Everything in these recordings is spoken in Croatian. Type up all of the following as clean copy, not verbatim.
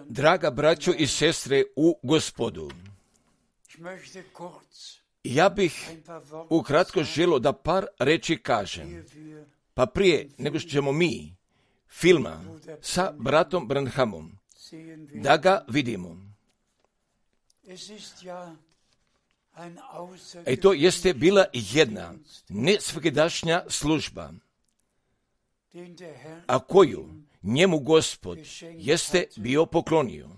Draga braćo i sestre u Gospodu, ja bih ukratko želio da par reči kažem. Pa prije nego što ćemo mi filma sa bratom Branhamom da ga vidimo. I to jeste bila jedna nesvakidašnja služba, a koju njemu Gospod jeste bio poklonio.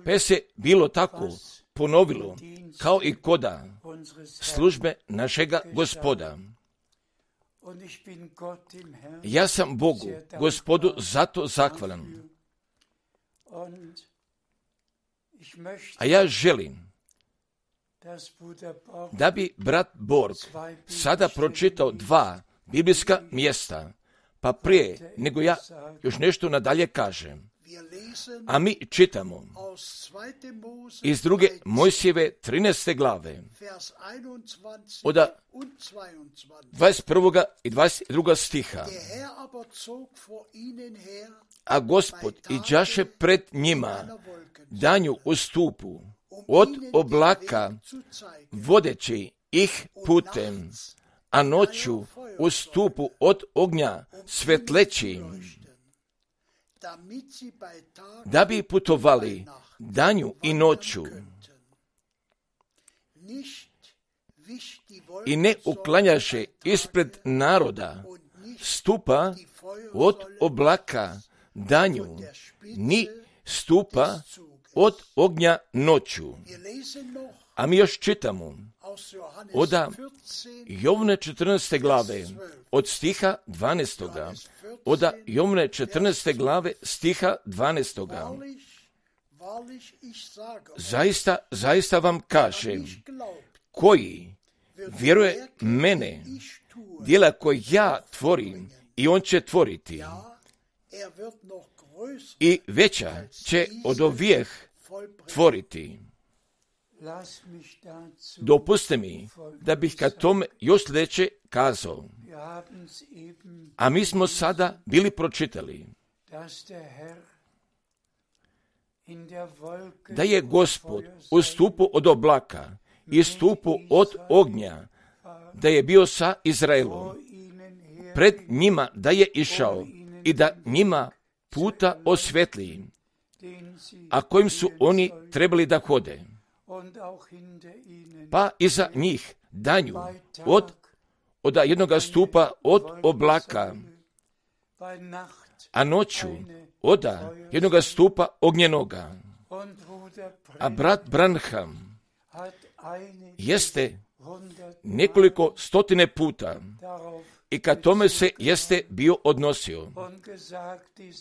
Pa se bilo tako ponovilo kao i koda službe našega Gospoda. Ja sam Bogu, Gospodu, zato zahvalan. A ja želim da bi brat Borg sada pročitao 2 biblijska mjesta, pa prije nego ja još nešto nadalje kažem. A mi čitamo iz 2. Mojsijeve 13. glave od 21. i 22. stiha. A Gospod iđaše pred njima danju u stupu od oblaka vodeći ih putem, a noću u stupu od ognja svetleći, da bi putovali danju i noću i ne uklanjaše ispred naroda stupa od oblaka danju, ni stupa od ognja noću. A mi još čitamo od Jovne 14. glave od stiha 12. Od Jovne 14. glave stiha 12. Zaista vam kažem, koji vjeruje mene, djela koje ja tvorim, i on će tvoriti, i veća će od ovih tvoriti. Dopuste mi da bih ka tome još sljedeće kazao. A mi smo sada bili pročitali da je Gospod u stupu od oblaka i stupu od ognja, da je bio sa Izraelom, pred njima da je išao i da njima puta osvetli, a kojim su oni trebali da hode. Pa iza njih danju od jednoga stupa od oblaka, a noću od jednoga stupa ognjenoga. A brat Branham jeste nekoliko stotine puta i kad tome se jeste bio odnosio,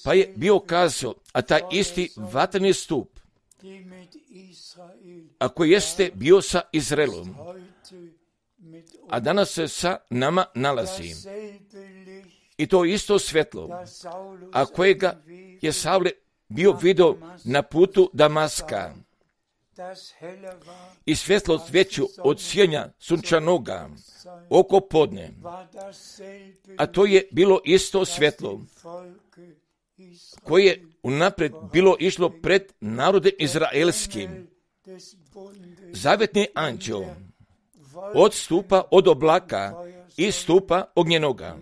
pa je bio kazao, a taj isti vatreni stup, a koji jeste bio sa Izraelom, a danas se sa nama nalazi, i to isto svjetlo, a kojega je Savle bio vidio na putu Damaska, i svjetlost veću od sjenja sunčanoga oko podne, a to je bilo isto svjetlo koje je unaprijed bilo išlo pred narodem izraelskim. Zavjetni anđel od stupa od oblaka i stupa ognjenoga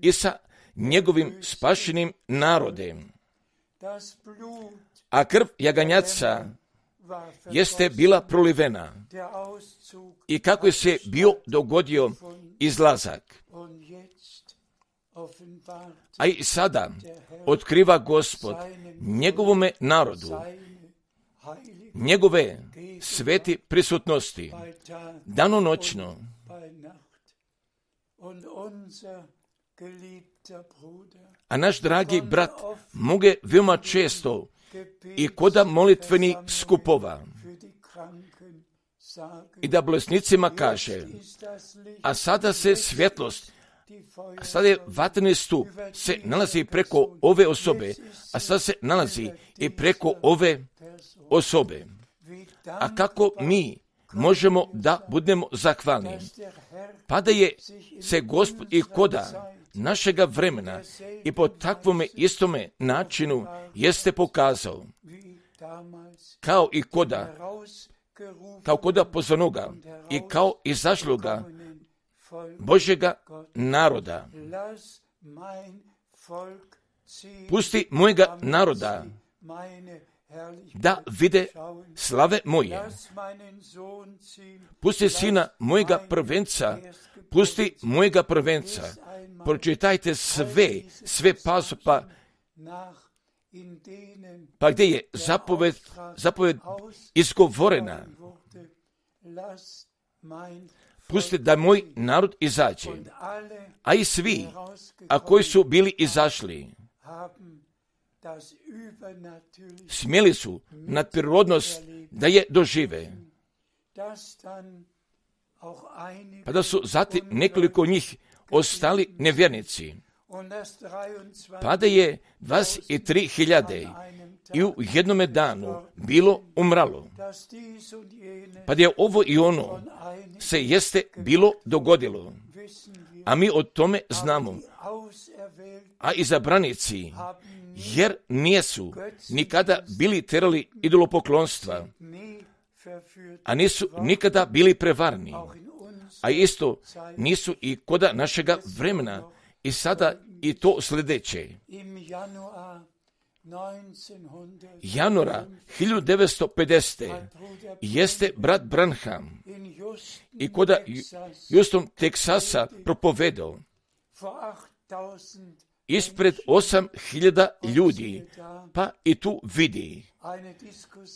i sa njegovim spašenim narodem. A krv jaganjaca jeste bila prolivena i kako je se bio dogodio izlazak. A i sada otkriva Gospod njegovome narodu njegove sveti prisutnosti, danonoćno. A naš dragi brat moge veoma često i koda molitvenih skupova i da bolesnicima kaže, a sada se svjetlost, a sada je vatreni stup se nalazi preko ove osobe, a sada se nalazi i preko ove osobe. A kako mi možemo da budemo zahvalni? Pa da je se Gospod i koda našega vremena i po takvome istome načinu jeste pokazao, kao koda pozvanoga i kao izašloga Božjega naroda. Pusti mojega naroda da vide slave moje. Pusti sina mojega prvenca, pusti mojega prvenca. Pročitajte sve pasopa, pa gdje je zapoved izgovorena. Pusti da moj narod izađe. A i svi, a koji su bili izašli, smjeli su nadprirodnost da je dožive. Pa da su zatim nekoliko njih ostali nevjernici. Pa da je 23.000 i u jednome danu bilo umralo. Pa da je ovo i ono se jeste bilo dogodilo. A mi o tome znamo. A izabranici, jer nisu nikada bili terali idolopoklonstva, a nisu nikada bili prevarni, a isto nisu i koda našega vremena i sada i to sljedeće. Januara 1950. jeste brat Branham i koda Houston, Teksasa propovedao ispred 8.000 ljudi, pa i tu vidi.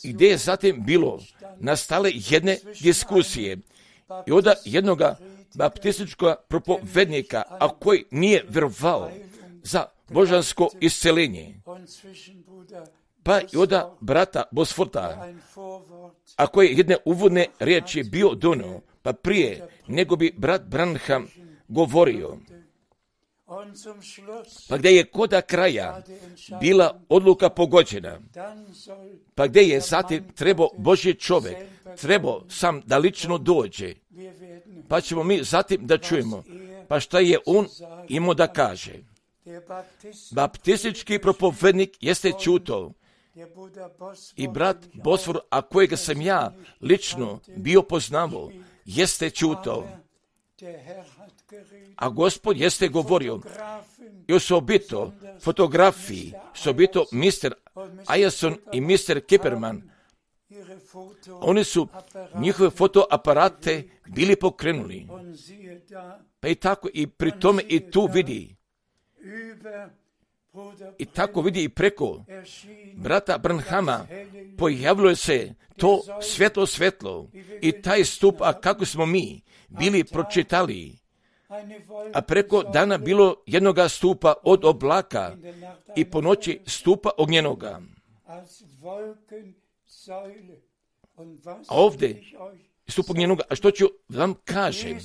I gdje je zatim bilo nastale jedne diskusije i onda jednoga baptističkog propovednika, a koji nije vjerovao za božansko isceljenje, pa i onda brata Bosforta, a koji jedne uvodne riječi bio donio, pa prije nego bi brat Branham govorio. Pa gdje je koda kraja bila odluka pogođena, pa gdje je zatim trebao Božji čovjek, trebao sam da lično dođe, pa ćemo mi zatim da čujemo, pa šta je on imao da kaže. Baptistički propovednik jeste čuto i brat Bosfor, a kojega sam ja lično bio poznavao, jeste čuto. A Gospod jeste govorio i osobito fotografiji, osobito Mr. Ayerson i Mr. Kipperman. Oni su njihove fotoaparate bili pokrenuli. Pa i tako i pri tome i tu vidi. I tako vidi i preko brata Branhama pojavilo se to svjetlo i taj stup, a kako smo mi bili pročitali. A preko dana bilo jednoga stupa od oblaka i po noći stupa ognjenoga. A ovdje stup ognjenoga, a što ću vam kažem,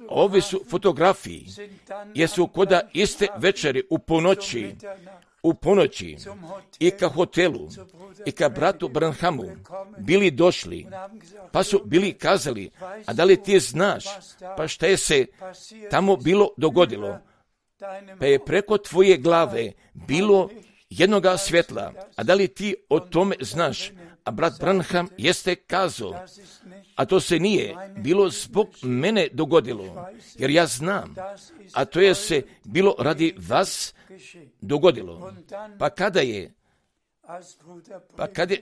ove su fotografiji, jer su koda iste večeri u ponoći i ka hotelu i ka bratu Branhamu bili došli, pa su bili kazali, a da li ti znaš, pa šta je se tamo bilo dogodilo? Pa je preko tvoje glave bilo jednoga svjetla, a da li ti o tome znaš? A brat Branham jeste kazao, a to se nije bilo zbog mene dogodilo, jer ja znam, a to je se bilo radi vas dogodilo. Pa kada je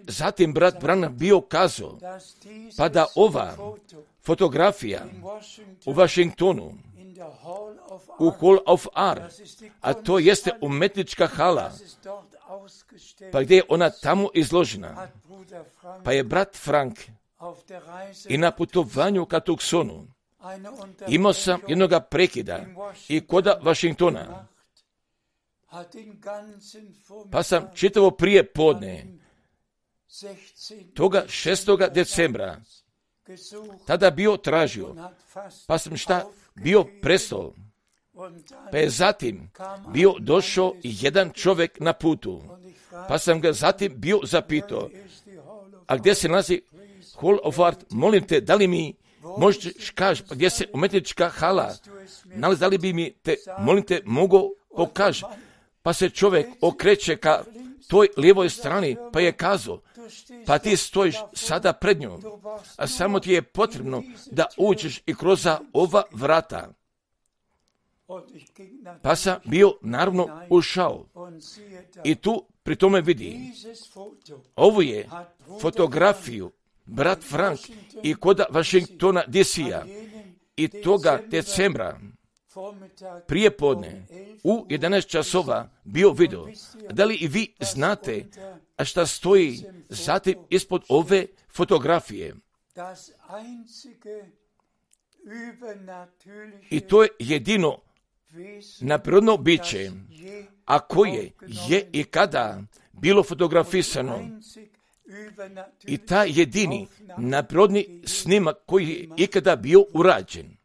zatim brat Branham bio kazao, pa da ova fotografija u Washingtonu, u Hall of Art, a to jeste umetnička hala, pa gdje je ona tamo izložena, pa je brat Frank i na putovanju ka Tucsonu imao sam jednoga prekida i koda Washingtona, pa sam čitavo prije podne toga 6. decembra tada bio tražio, pa sam bio prestao, pa je zatim bio došao jedan čovjek na putu, pa sam ga zatim bio zapitao, a gdje se nalazi Hall of Art, molim te, da li mi možeš kaži, pa gdje se umetnička hala, da li bi mi te, molim te, mogao pokaži. Pa se čovjek okreće ka toj lijevoj strani, pa je kazao, pa ti stojiš sada pred njom, a samo ti je potrebno da uđeš i kroz ova vrata. Pa sam bio naravno ušao i tu pri tome vidi, ovo je fotografiju brat Frank i kod Washingtona DC-a i toga decembra prije podne u 11 časova bio video. Da li i vi znate a šta stoji zatim ispod ove fotografije? I to je jedino nadprirodno biće, a koje je i kada bilo fotografisano. I taj jedini nadprirodni snimak koji je ikada bio urađen.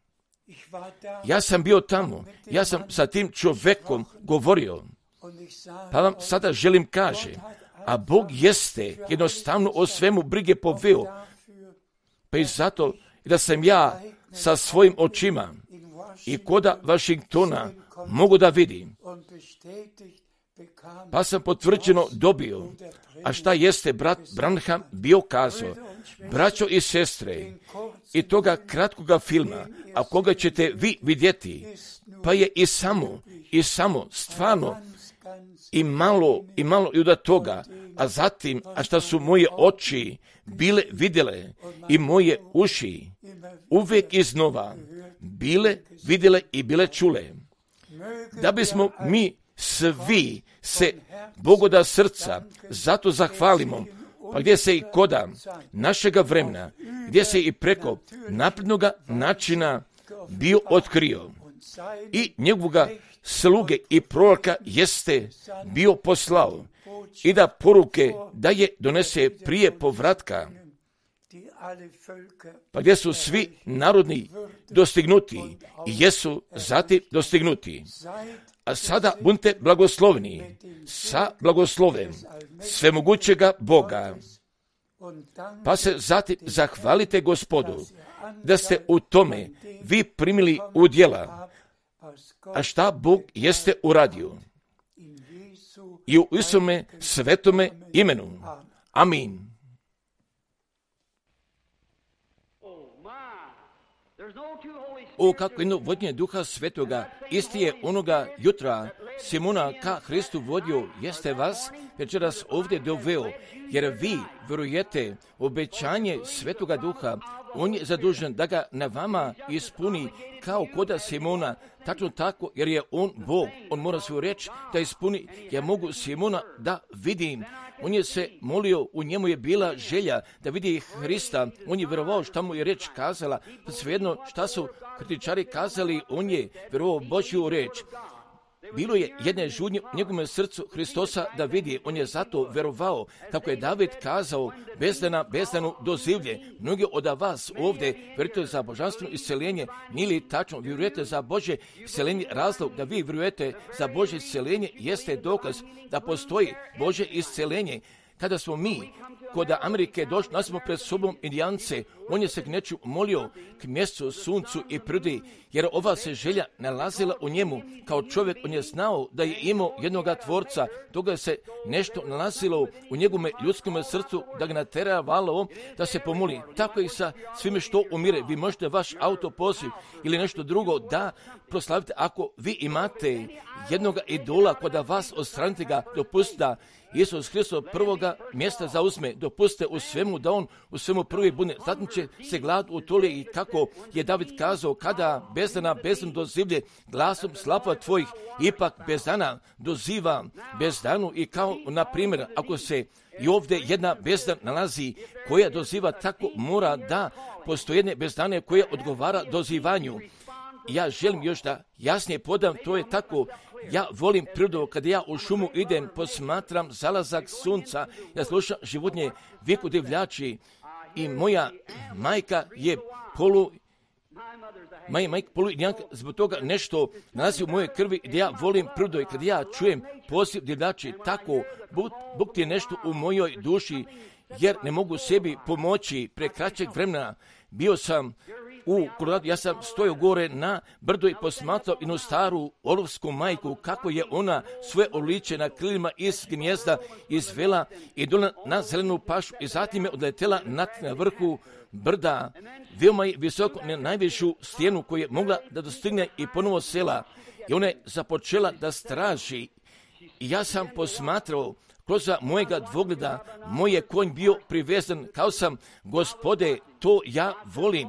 Ja sam bio tamo, ja sam sa tim čovjekom govorio, pa vam sada želim kaže, a Bog jeste jednostavno o svemu brige poveo, pa i zato da sam ja sa svojim očima i koda Washingtona mogu da vidim, pa sam potvrđeno dobio, a šta jeste brat Branham bio kazao, braćo i sestre, i toga kratkoga filma, a koga ćete vi vidjeti, pa je i samo stvarno i malo i od toga, a zatim, a šta su moje oči bile vidjele i moje uši uvijek iznova bile vidjele i bile čule, da bismo mi svi se Bogoda srca zato zahvalimo, pa gdje se i koda našega vremena, gdje se i preko naprednoga načina bio otkrio i njegovoga sluge i proroka jeste bio poslao i da poruke da je donese prije povratka, pa gdje su svi narodni dostignuti i jesu zatim dostignuti. A sada budite blagosloveni sa blagoslovem svemogućega Boga. Pa se zatim zahvalite Gospodu da ste u tome vi primili udjela, a šta Bog jeste uradio. I u Isome svetome imenu. Amin. O, kako jedno vodnje Duha Svetoga, isti je onoga jutra Simona ka Hristu vodio, jeste vas večeras ovdje doveo, jer vi vjerujete obećanje Svetoga Duha, on je zadužen da ga na vama ispuni kao koda Simona, tačno tako, jer je on Bog, on mora svoju reč da ispuni, ja mogu Simona da vidim. On je se molio, u njemu je bila želja da vidi Hrista, on je vjerovao šta mu je reč kazala, svejedno šta su kritičari kazali, on je vjerovao Božju reč. Bilo je jedne žudnje u njegovom srcu Hristosa da vidi, on je zato vjerovao, kako je David kazao, bezdanu dozivlje. Mnogi od vas ovdje vjerujete za božanstveno isceljenje, nije li tačno, vjerujete za Božje isceljenje, razlog da vi vjerujete za Božje isceljenje jeste dokaz da postoji Božje isceljenje. Kada smo mi kod Amerike došli, nas smo pred sobom Indijance, on je se k neču molio k mjestu, suncu i prirodi, jer ova se želja nalazila u njemu. Kao čovjek on je znao da je imao jednoga tvorca, toga se nešto nalazilo u njegovom ljudskom srcu, da ga nateravalo da se pomoli. Tako i sa svime što umire. Vi možete vaš auto poziv ili nešto drugo da proslavite. Ako vi imate jednoga idola kod vas, odstranite ga, dopustite da Isus Hristos prvoga mjesta zauzme, dopustite u svemu da on u svemu prvi bude. Zatim će se glad utoli i kako je David kazao, kada bezdana dozivlje glasom slapa tvojih, ipak bezdana doziva bezdanu. I kao na primjer, ako se i ovdje jedna bezdan nalazi koja doziva, tako mora da postoje jedne bezdane koja odgovara dozivanju. Ja želim još da jasnije podam, to je tako. Ja volim prirodu, kada ja u šumu idem, posmatram zalazak sunca, ja slušam životinje, viku divljači i moja majka je polu indijanka, zbog toga nešto nalazi u mojoj krvi gdje ja volim prirodu i kada ja čujem poziv divljači, tako Bog ti je nešto u mojoj duši, jer ne mogu sebi pomoći pre kraćeg vremena. Bio sam u Koloradu, ja sam stojao gore na brdu i posmatrao jednu staru olovsku majku, kako je ona svoje oliče na krilima iz gnijezda izvela i dola na zelenu pašu i zatim je odletela na vrhu brda, veoma je visoko na najvišu stijenu koju je mogla da dostigne i ponovo sela. I ona je započela da straži. I ja sam posmatrao kroz mojega dvogleda, moj je konj bio privezan, kao sam, Gospode, to ja volim.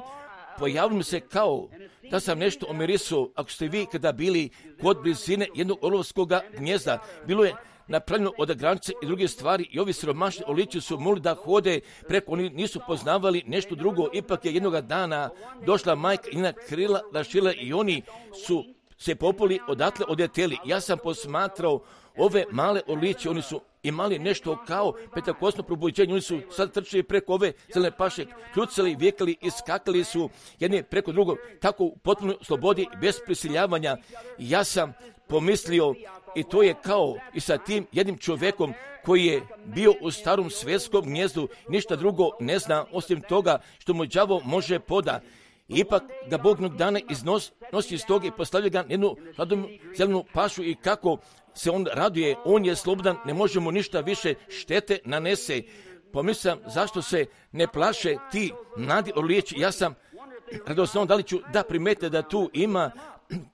Pojavilo mi se kao da sam nešto omirisao, ako ste vi kada bili kod blizine jednog olovskog gnjezda, bilo je napravljeno od granice i druge stvari i ovi siromašni oliči su mogli da hode preko, oni nisu poznavali nešto drugo, ipak je jednoga dana došla majka i na krila rašila i oni su se populi odatle odleteli. Ja sam posmatrao ove male oliče, oni su imali nešto kao pentakosno probuđenje, oni su sad trčali preko ove zelene paše, kljucali, vjekali i skakali su jedni preko drugog, tako u potpunoj slobodi, bez prisiljavanja. Ja sam pomislio, i to je kao i sa tim jednim čovjekom koji je bio u starom svjetskom gnjezdu, ništa drugo ne zna osim toga što mu đavo može poda. Ipak ga Bog jednog dana nosi iz toga i postavlja ga jednu hladnu zelenu pašu i kako se on raduje, on je slobodan, ne može mu ništa više štete nanese. Pomislim, zašto se ne plaše ti mladi olijeći? Ja sam radosno, da li ću da primete da tu ima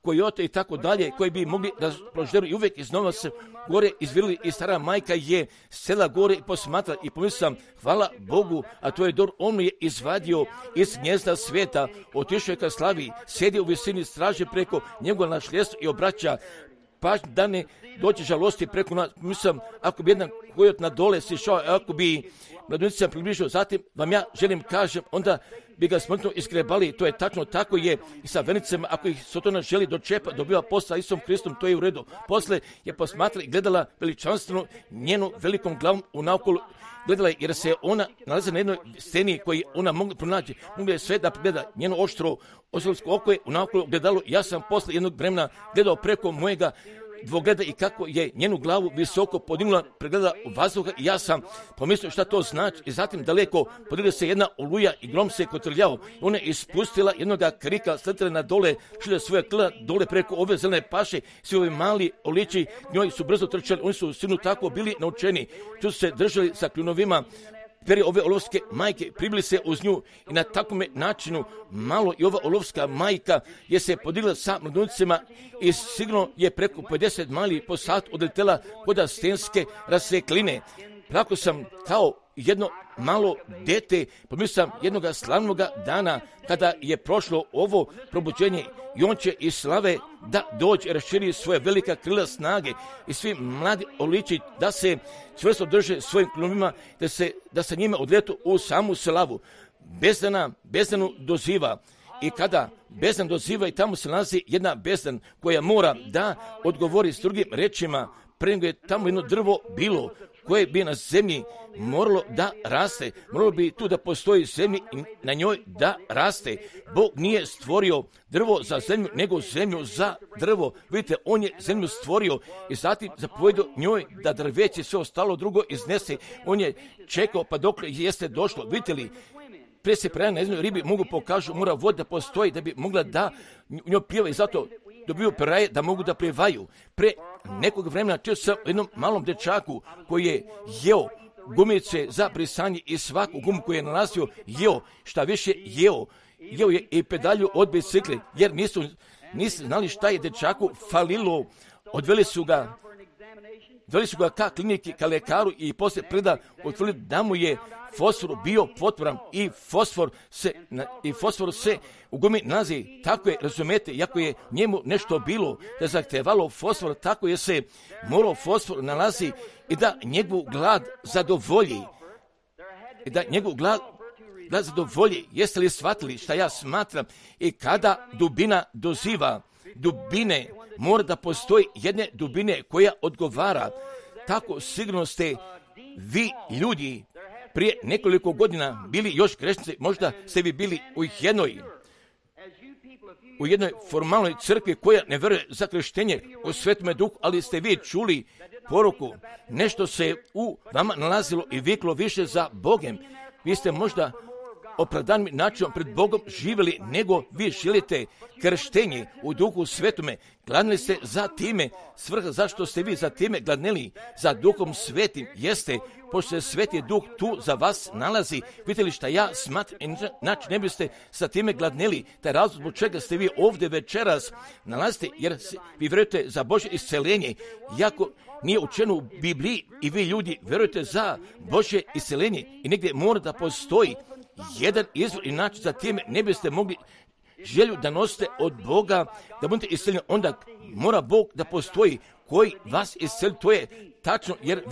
kojote i tako dalje, koji bi mogli da prožderu i uvijek iznova se gore izvirili i stara majka je sela gore i posmatra i pomislim, hvala Bogu, a to je dobro, on je izvadio iz gnjezda svijeta, otišao je ka slavi, sjedi u visini straže preko njegova našljestva i obraća pažnju da ne dođe žalosti preko nas. Mislim, ako bi jedan kojot na dole sišao, ako bi mladonica približio, zatim vam ja želim kažem, onda bi ga smrtno iskrebali. To je tačno, tako je i sa venicama, ako ih Sotona želi dočepa, dobiva posla Isom Hristom, to je u redu. Posle je posmatrala i gledala veličanstveno njenu velikom glavom u naokolu, gledala je jer se ona nalazi na jednoj sceni koju ona mogla pronaći. Mogla je sve da gleda njeno oštro osolsko oko je u naokolu gledalo. Ja sam posle jednog vremena gledao preko mojega dvogleda i kako je njenu glavu visoko podignula, pregledala u vazduha i ja sam pomislio šta to znači i zatim daleko podigla se jedna oluja i grom se kotrljao. Ona je ispustila jednoga krika, sletela na dole, šilja svoje krila dole preko ove zelene paše, svi ovi mali oliči njoj su brzo trčali, oni su sigurno tako bili naučeni, tu su se držali sa kljunovima. Peri ove olovske majke pribili se uz nju i na takvom načinu malo i ova olovska majka je se podigla sa mladuncima i sigurno je preko 50 mali po sat odletela kod stenske rasvekline. Plako sam kao jedno malo dete, pomislim jednoga slavnog dana kada je prošlo ovo probuđenje i on će iz slave da dođe, raširi svoje velika krila snage i svi mladi oliči da se čvrsto drže svojim krumovima, da se njime odletu u samu slavu. Bezdanu doziva i kada bezdan doziva i tamo se nalazi jedna bezdan koja mora da odgovori s drugim rečima, pre nego je tamo jedno drvo bilo koje bi na zemlji moralo da raste, moralo bi tu da postoji zemlji i na njoj da raste. Bog nije stvorio drvo za zemlju, nego zemlju za drvo. Vidite, on je zemlju stvorio i zatim zapovjedio njoj da drveće sve ostalo drugo iznese. On je čekao pa dok jeste došlo. Vidite li, prije se prema na jednoj ribi mogu pokažu, mora voda da postoji da bi mogla da njoj pjeva i zato dobiju peraje da mogu da plivaju. Pre nekog vremena čuo sam jednom malom dečaku koji je jeo gumice za brisanje i svaku gumu koju je nalazio jeo, šta više jeo je i pedalju od bicikle, jer nisu znali šta je dečaku falilo. Odveli su ga ka kliniki, ka lekaru i poslije preda utvrdili da mu je fosfor bio potvoran i fosfor se u gumi nalazi. Tako je, razumete, iako je njemu nešto bilo da zahtevalo fosfor, tako je se morao fosfor nalazi i da njegov glad zadovolji. Jeste li shvatili šta ja smatram? I kada dubina doziva, dubine mora da postoji jedne dubine koja odgovara. Tako sigurno ste vi ljudi prije nekoliko godina bili još grešnici, možda ste vi bili u jednoj formalnoj crkvi koja ne vjeruje za krštenje u Svetome Duhu, ali ste vi čuli poruku, nešto se u vama nalazilo i viklo više za Bogem. Vi ste možda opravdanim načinom pred Bogom živjeli, nego vi želite krštenje u Duhu Svetome. Gladnili ste za time, svrha zašto ste vi za time gladnili, za Duhom Svetim, jeste, pošto se Sveti Duh tu za vas nalazi. Vidite li šta ja smatram, znači ne biste sa time gladnili, taj razlog zbog čega ste vi ovdje večeras nalazite, jer vi vjerujete za Božje isceljenje, iako nije učeno u Bibliji i vi ljudi vjerujete za Božje isceljenje i negdje mora da postoji jedan izvor i način za time ne biste mogli želju da nosite od Boga, da budete isceljeni, onda mora Bog da postoji koji vas isceli, to je tačno, jer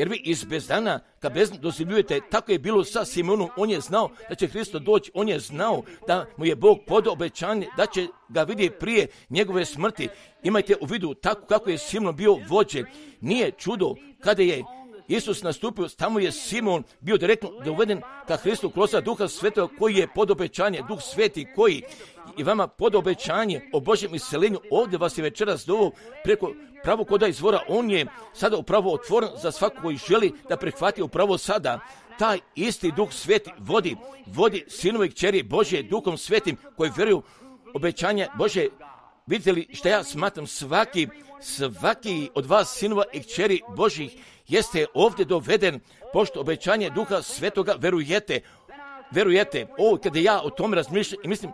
vi iz bezdana ka bezdan doživljujete. Tako je bilo sa Simonom, on je znao da će Hristos doći, on je znao da mu je Bog podao obećanje, da će ga vidjeti prije njegove smrti. Imajte u vidu tako kako je Simon bio vođen. Nije čudo kada je Isus nastupio, tamo je Simon bio direktno doveden ka Hristu kroz Duha Svetog koji je pod obećanje, Duh Sveti koji i vama pod obećanje o Božjem isceljenju. Ovdje vas je večeras doveo preko pravog koda izvora, on je sada upravo otvoren za svako koji želi da prihvati upravo sada. Taj isti Duh Sveti vodi sinove i kćeri Božje Duhom Svetim koji vjeruju obećanje Božje. Vidite li šta ja smatram, svaki od vas sinova i kćeri Božjih jeste ovdje doveden pošto obećanje Duha Svetoga verujete. Kada ja o tome razmišljam i mislim,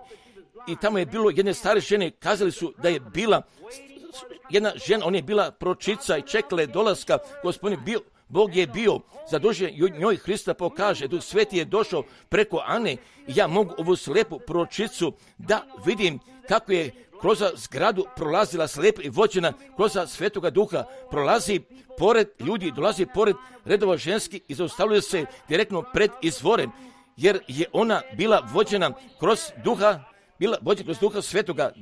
i tamo je bilo jedne stare žene, kazali su da je bila jedna žena, ona je bila pročica i čekala je dolaska Gospodin, Bog je bio zadužen njoj Hrista pokaže, Duh Sveti je došao preko Ane i ja mogu ovu slijepu pročicu da vidim kako je kroz zgradu prolazila slijepa i vođena kroz Svetoga Duha, prolazi pored ljudi, dolazi pored redova ženski i zaustavljuje se direktno pred izvorem, jer je ona bila vođena kroz Duha Svetoga,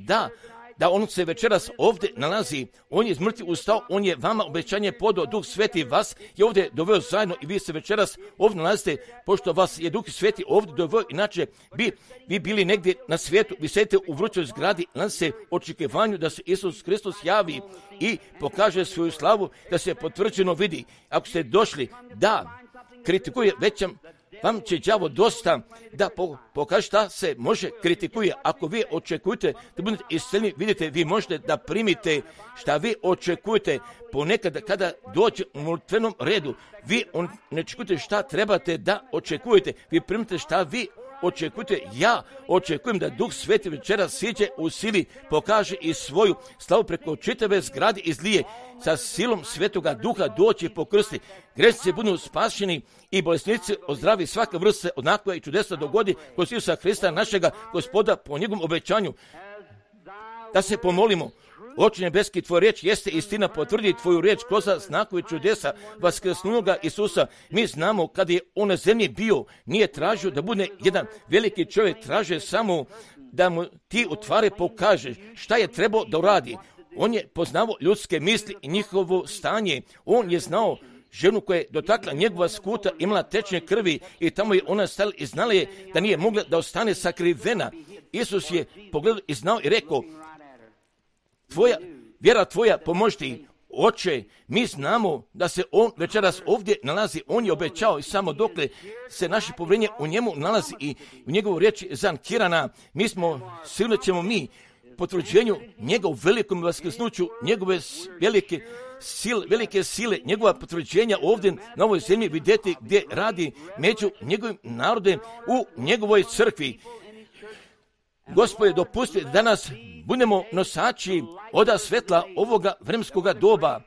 da on se večeras ovdje nalazi, on je iz mrtvih ustao, on je vama obećanje podao, Duh Sveti vas je ovdje doveo zajedno i vi se večeras ovdje nalazite, pošto vas je Duh Sveti ovdje doveo, inače vi bili negdje na svijetu, vi sedite u vrućoj zgradi, nalazite očekivanju da se Isus Hristos javi i pokaže svoju slavu, da se potvrđeno vidi. Ako ste došli da kritikuje, već vam će đavo dosta da pokaže šta se može kritikuje. Ako vi očekujete da budete isceljeni, vidite, vi možete da primite šta vi očekujete. Ponekad kada dođe u molitvenom redu, vi ne očekujete šta trebate da očekujete. Vi primite šta vi očekujete. Ja očekujem da Duh Sveti večeras siđe u sili, pokaže i svoju slavu preko čitave zgrade izlije, sa silom Svetoga Duha doći po krsti. Grešnici budu spašeni i bolesnici ozdravi, svaka vrsta se onako i čudesa dogodi kroz Isusa Hrista našega Gospoda po njegovom obećanju. Da se pomolimo. Oče nebeski, tvoja riječ jeste istina, potvrdi tvoju riječ kroz znakove čudesa vaskrsnuloga Isusa. Mi znamo kada je on na zemlji bio, nije tražio da bude jedan veliki čovjek, tražio samo da mu ti utvare pokažeš šta je trebao da uradi. On je poznavao ljudske misli i njihovo stanje. On je znao ženu koja je dotakla njegova skuta, imala tečne krvi i tamo je ona stala i znala je da nije mogla da ostane sakrivena. Isus je pogledao i znao i rekao, vjera tvoja pomoži ti. Oče, mi znamo da se on večeras ovdje nalazi, on je obećao i samo dokle se naše povjerenje u njemu nalazi i u njegovu riječi zankirana, mi smo, sigurno ćemo mi potvrđenju njegov velikom vaskrsnuću, njegove velike sile, njegova potvrđenja ovdje na ovoj zemlji vidjeti gdje radi među njegovim narodem u njegovoj crkvi. Gospode, dopusti da danas budemo nosači oda svetla ovoga vremenskoga doba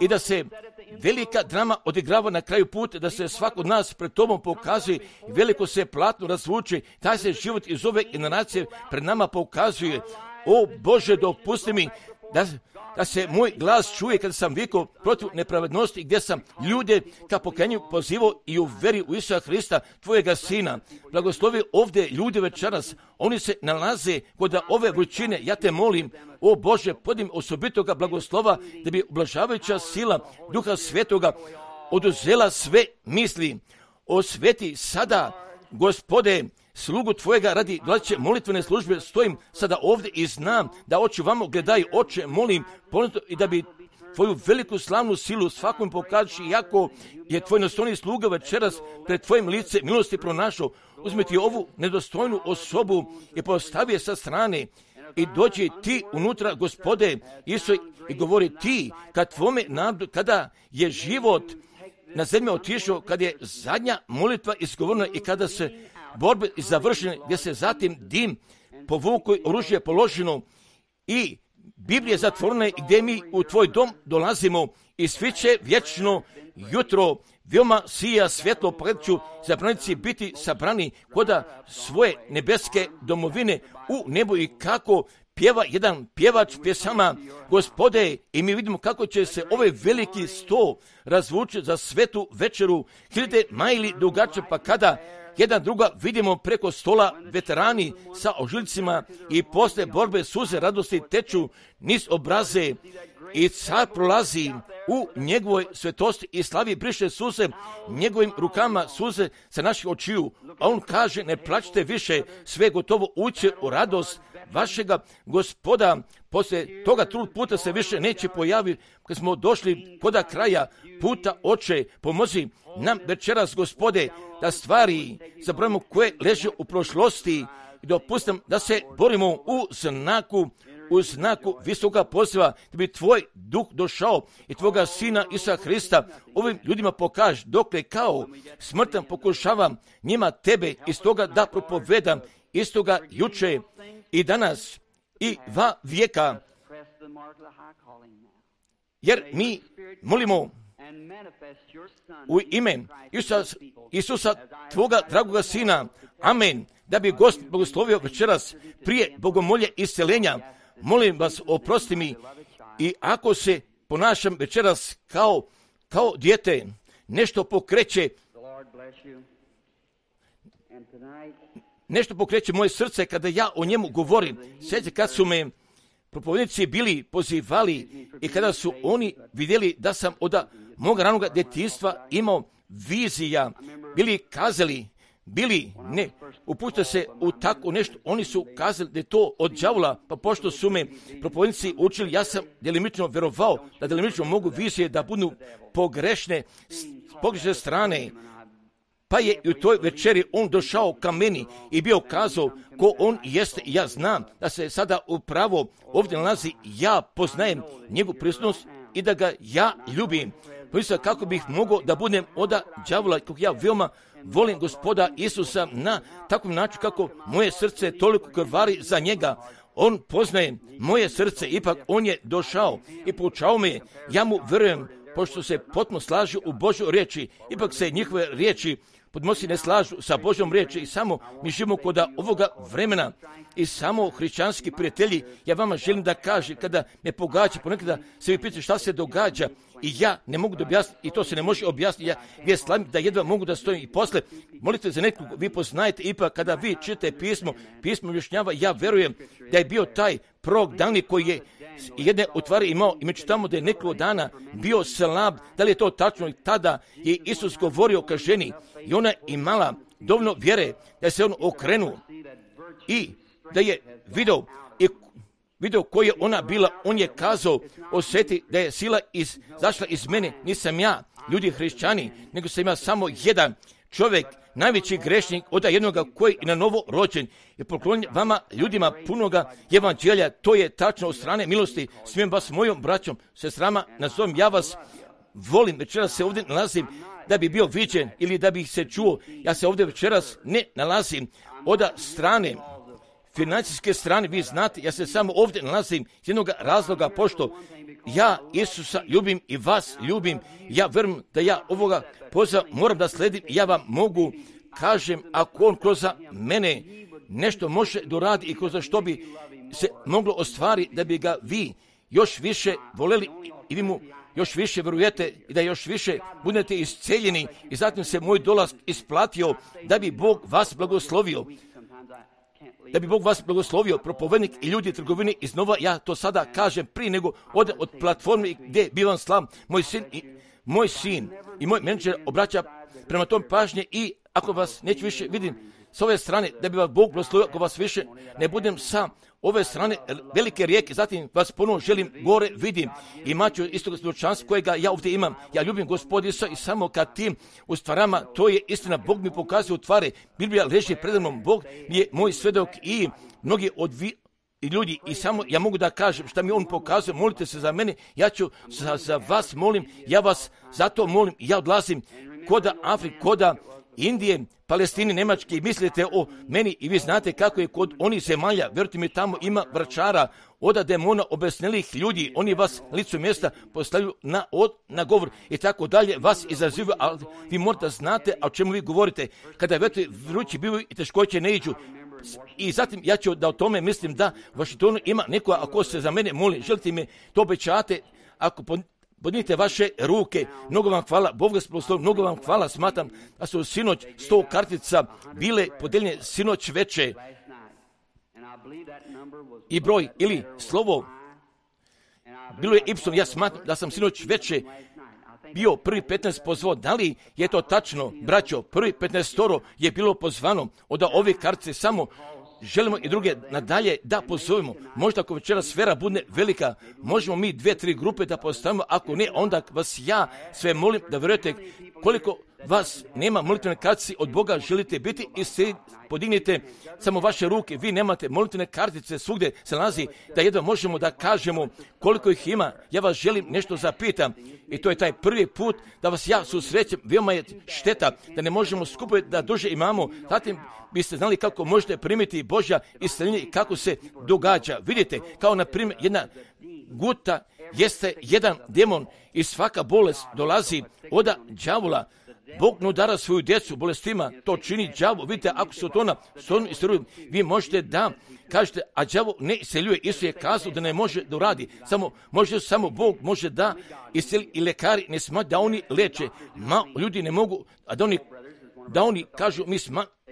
i da se velika drama odigrava na kraju puta, da se svako od nas pred tobom pokazuje i veliko se platno razvuče, taj se život iz ove generacije pred nama pokazuje. O Bože, dopusti mi da se moj glas čuje kada sam vikao protiv nepravednosti, gdje sam ljude ka pokajanju pozivao i u veri u Isusa Hrista, tvojega Sina. Blagoslovi ovdje ljudi večeras, oni se nalaze kod ove vrućine. Ja te molim, o Bože, podim osobitoga blagoslova da bi ublažavajuća sila Duha Svetoga oduzela sve misli. Osveti sada, Gospode, slugu tvojega radi dolazeće molitvene službe, stojim sada ovdje i znam da oči vamo gledaju, oče, molim, ponito i da bi tvoju veliku slavnu silu svakom pokaži, iako je tvoj nedostojni sluga večeras pred tvojim lice milosti pronašao. Uzmi ti ovu nedostojnu osobu i postavi je sa strane i dođi ti unutra, Gospode Isus, i govori ti kad tvome narodu, kada je život na zemlji otišao, kad je zadnja molitva izgovorena i kada se borbe završene, gdje se zatim dim povukao, oružje položeno i Biblija zatvorena, i gdje mi u tvoj dom dolazimo i svi će vječno jutro veoma sija svjetlo pogledaću zabranici biti sabrani koda svoje nebeske domovine u nebu. I kako pjeva jedan pjevač pjesama, Gospode, i mi vidimo kako će se ovaj veliki sto razvući za svetu večeru, hiljade majli dugačke, pa kada jedan druga vidimo preko stola veterani sa ožiljcima i posle borbe suze radosti teču niz obraze i car prolazi u njegovoj svetosti i slavi, briše suze njegovim rukama suze sa naših očiju, a on kaže ne plačite više, sve gotovo uće u radost vašega Gospoda. Poslije toga trud puta se više neće pojaviti. Kad smo došli koda kraja puta, Oče, pomozi nam večeras, Gospode, da stvari zaboravimo koje leže u prošlosti i dopustim da se borimo u znaku visoka poziva, da bi tvoj duh došao i tvoga sina Isusa Hrista ovim ljudima pokaže, dokle kao smrtan pokušavam njima tebe iz toga da propovedam, istoga juče i danas i va vijeka, jer mi molimo u ime Isusa, tvoga dragoga sina, amen, da bi Gospod blagoslovio večeras prije bogomolje isceljenja. Molim vas, oprosti mi, i ako se ponašam večeras kao dijete, nešto pokreće moje srce kada ja o njemu govorim. Sjećate kad su me propovednici bili pozivali i kada su oni vidjeli da sam od moga ranoga djetinjstva imao vizija, bili kazali, ne, upustite se u tako nešto, oni su kazali da je to od đavola, pa pošto su me propovednici učili, ja sam delimično verovao da delimično mogu vizije da budu pogrešne strane. Pa je u toj večeri on došao ka meni i bio kazao ko on jeste, i ja znam da se sada upravo ovdje nalazi, ja poznajem njegovu prisutnost i da ga ja ljubim. Pomislim kako bih mogao da budem od đavola, kako ja veoma volim Gospoda Isusa na takvom načinu kako moje srce toliko krvari za njega. On poznaje moje srce, ipak on je došao i poučao me, ja mu verujem, pošto se potpuno slažu u Božoj riječi, ipak se njihove riječi podmosi ne slažu sa Božjom riječi i samo mi živimo kod ovoga vremena i samo hrišćanski prijatelji. Ja vama želim da kažem, kada me pogađa, ponekada se vi pitate šta se događa i ja ne mogu da objasniti, i to se ne može objasniti, ja gdje slavim da jedva mogu da stojim i posle molite za nekog, vi poznajete, ipak kada vi čitate pismo objašnjava, ja verujem da je bio taj prorok Danijel koji je jedne utvari imao, i među tamo da je nekoliko dana bio slab. Da li je to tačno? I tada je Isus govorio ka ženi i ona imala dovoljno vjere da se on okrenuo i da je video ko je ona bila. On je kazao, osjeti da je sila zašla iz mene, nisam ja, ljudi hrišćani, nego sam ja samo jedan čovjek, najveći grešnik od jednoga koji je na novo rođen i poklonjen vama ljudima punoga evanđelja. To je tačno od strane milosti. Smijem vas mojom braćom, sestrama, nazovem, ja vas volim. Večeras se ovdje nalazim da bi bio viđen ili da bih se čuo. Ja se ovdje večeras ne nalazim od strane, financijske strane, vi znate, ja se samo ovdje nalazim iz jednog razloga, pošto ja Isusa ljubim i vas ljubim. Ja verujem da ja ovoga poziva moram da sledim. Ja vam mogu kažem, ako on kroz mene nešto može doradi i kroz što bi se moglo ostvariti, da bi ga vi još više voljeli i vi mu još više verujete i da još više budete isceljeni i zatim se moj dolaz isplatio, da bi Bog vas blagoslovio. Da bi Bog vas blagoslovio, propovednik i ljudi trgovine iznova, ja to sada kažem prije nego ode od platforme gdje bivam slav, moj sin i moj menadžer obraća prema tom pažnje, i ako vas neću više vidim, s ove strane, da bi vas Bog blagoslovio ako vas više ne budem sa ove strane velike rijeke, zatim vas ponovno želim gore vidim. Imat ću istog svjedočanstva kojega ja ovdje imam. Ja ljubim Gospoda Isusa i samo kad tim u stvarama, to je istina. Bog mi pokazuje u tvari. Biblija leži pred mnom. Bog je moj svedok i mnogi od ljudi i samo ja mogu da kažem šta mi on pokazuje. Molite se za mene, ja ću za vas molim, ja vas zato molim. Ja odlazim koda Afrike, koda Indije, Palestine, Njemačke i mislite o meni i vi znate kako je kod onih zemalja. Vjerujte mi, tamo ima vračara, oda demona, obesnelih ljudi. Oni vas licu mjesta postavljaju na govor i tako dalje. Vas izazivaju, ali vi morate znate o čemu vi govorite. Kada vrući bivaju i teškoće ne iđu. I zatim ja ću da o tome mislim da u Vašingtonu ima neko, ako se za mene moli, želite me to obećate, ako podignite vaše ruke, mnogo vam hvala, Bog vas blagoslovi, mnogo vam hvala, smatram da su sinoć 100 kartica bile podeljene sinoć veče i broj ili slovo bilo je ipsom, ja smatram da sam sinoć veče bio prvi 15 pozvao. Da li je to tačno, braćo? Prvi 15 je bilo pozvano od ove kartice, samo želimo i druge nadalje da pozovemo. Možda ako večera sfera bude velika, možemo mi 2-3 grupe da postavimo, ako ne, onda vas ja sve molim da vjerujete koliko vas nema molitvene kartice od Boga želite biti i se podignite samo vaše ruke. Vi nemate molitvene kartice, svugdje se nalazi da jedva možemo da kažemo koliko ih ima. Ja vas želim nešto zapitam i to je taj prvi put da vas ja susrećem. Veoma je šteta da ne možemo skupiti da duže imamo. Zatim biste znali kako možete primiti Božja isceljenje i kako se događa. Vidite, kao na primjer jedna guta jeste jedan demon i svaka bolest dolazi od đavola. Bog ne udara svoju djecu bolestima, to čini đavo. Vidite, ako se to iseljuje, vi možete da kažete, a đavo ne iseljuje. Isus je kazao da ne može da uradi. Samo Bog može da iseli i lekari ne smatraju da oni leče. Ljudi ne mogu, a da oni kažu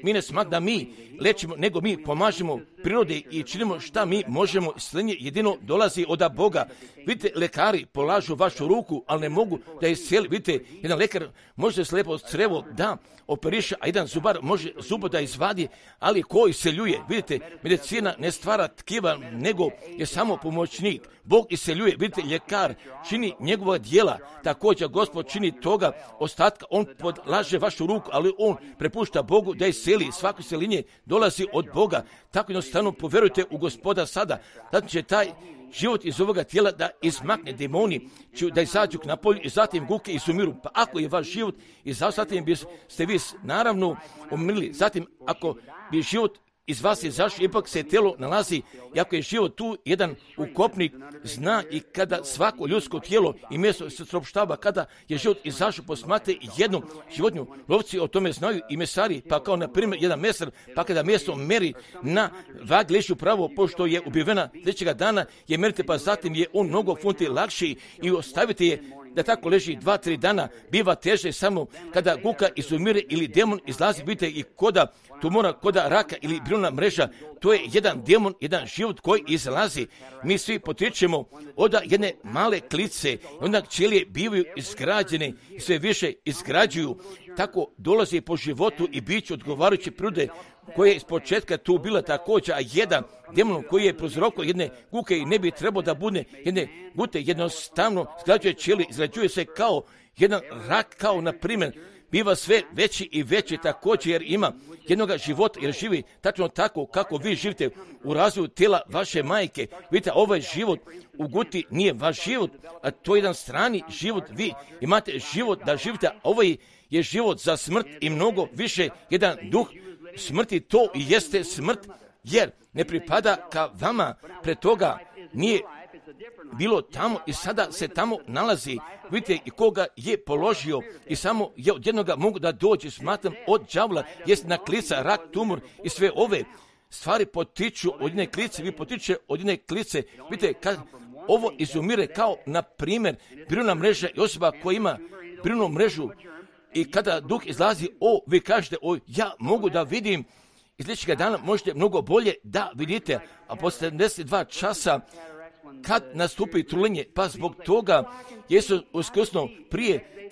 mi ne smatramo da mi lečimo, nego mi pomažemo prirode i činimo šta mi možemo. Isceljenje jedino dolazi od Boga. Vidite, lekari polažu vašu ruku, ali ne mogu da iscijeli. Vidite, jedan lekar može slijepo crevo da operiše, a jedan zubar može zubo da izvadi, ali ko isceljuje? Vidite, medicina ne stvara tkiva, nego je samo pomoćnik. Bog isceljuje. Vidite, ljekar čini njegova djela. Također, Gospod čini toga ostatka. On podlaže vašu ruku, ali on prepušta Bogu da isceli. Svako isceljenje dolazi od Boga. Tako jednostavno poverujte u Gospoda sada. Zatim će taj život iz ovoga tijela da izmakne demoni, da izađu na polju i zatim guke i sumiru. Pa ako je vaš život izašao, zatim biste vi naravno umirili. Zatim ako bi život iz vas izašao, ipak se tijelo nalazi, i ako je život tu, jedan ukopnik zna i kada svako ljudsko tijelo i mjesto se sopštava, kada je život izašao, posmate jednu životinju. Lovci o tome znaju i mesari, pa kao na primjer jedan mesar, pa kada mjesto meri na vagi leži upravo, pošto je ubivena sljedećega dana, je merite, pa zatim je on mnogo funti lakši i ostavite je da tako leži 2-3 dana, biva teže samo kada guka izumire ili demon izlazi. Vidite, i koda tumora, koda raka ili brilna mreža, to je jedan demon, jedan život koji izlazi. Mi svi potičemo od jedne male klice, onda ćelije bivaju izgrađene i sve više izgrađuju. Tako dolazi po životu i biću odgovarajuće prirode koja je iz početka tu bila također, a jedan demon koji je prouzrokovao jedne guke i ne bi trebao da bude jedne gute, jednostavno izgrađuje ćelije, izgrađuje se kao jedan rak, kao na primjer biva sve veći i veći također, jer ima jednoga života, jer živi tačno tako kako vi živite u razvoju tijela vaše majke. Vidite, ovaj život u guti nije vaš život, a to je jedan strani život. Vi imate život da živite, a ovaj je život za smrt i mnogo više jedan duh smrti. To i jeste smrt, jer ne pripada ka vama, pred toga nije bilo tamo i sada se tamo nalazi. Vidite, i koga je položio i samo je od jednoga mogu da dođe, smatram, od đavola, jest na klica, rak, tumor i sve ove stvari potiču od jedne klice, vi potiče od jedne klice. Vidite, kad ovo izumire kao, na primjer, brilna mreža i osoba koja ima brilnu mrežu i kada duh izlazi, vi kažete, ja mogu da vidim, iz sljedećega dana možete mnogo bolje da vidite, a posle 72 časa kad nastupi truljenje, pa zbog toga Jesu uskrsnuo prije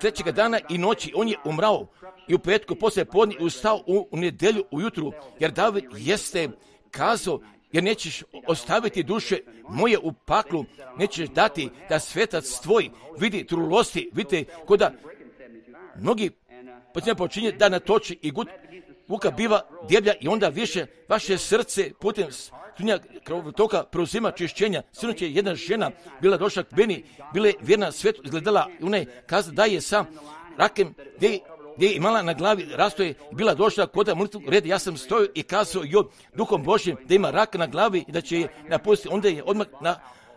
trećega dana i noći. On je umrao i u petku poslije podne ustao u nedjelju ujutru, jer David jeste kazao, jer nećeš ostaviti duše moje u paklu, nećeš dati da svetac tvoj vidi trulosti. Vidite, koda mnogi počinje da natoči i vuka biva djeblja i onda više vaše srce putem toka preuzima čišćenja. Sinoć je jedna žena bila došla k meni, bila je vjerna svetu, izgledala i ona je kazala da je sa rakem gdje je imala na glavi rastoje, bila došla kod molitvenog reda. Ja sam stojio i kazao joj Duhom Božjim da ima rak na glavi i da će je napustiti. Onda je odmah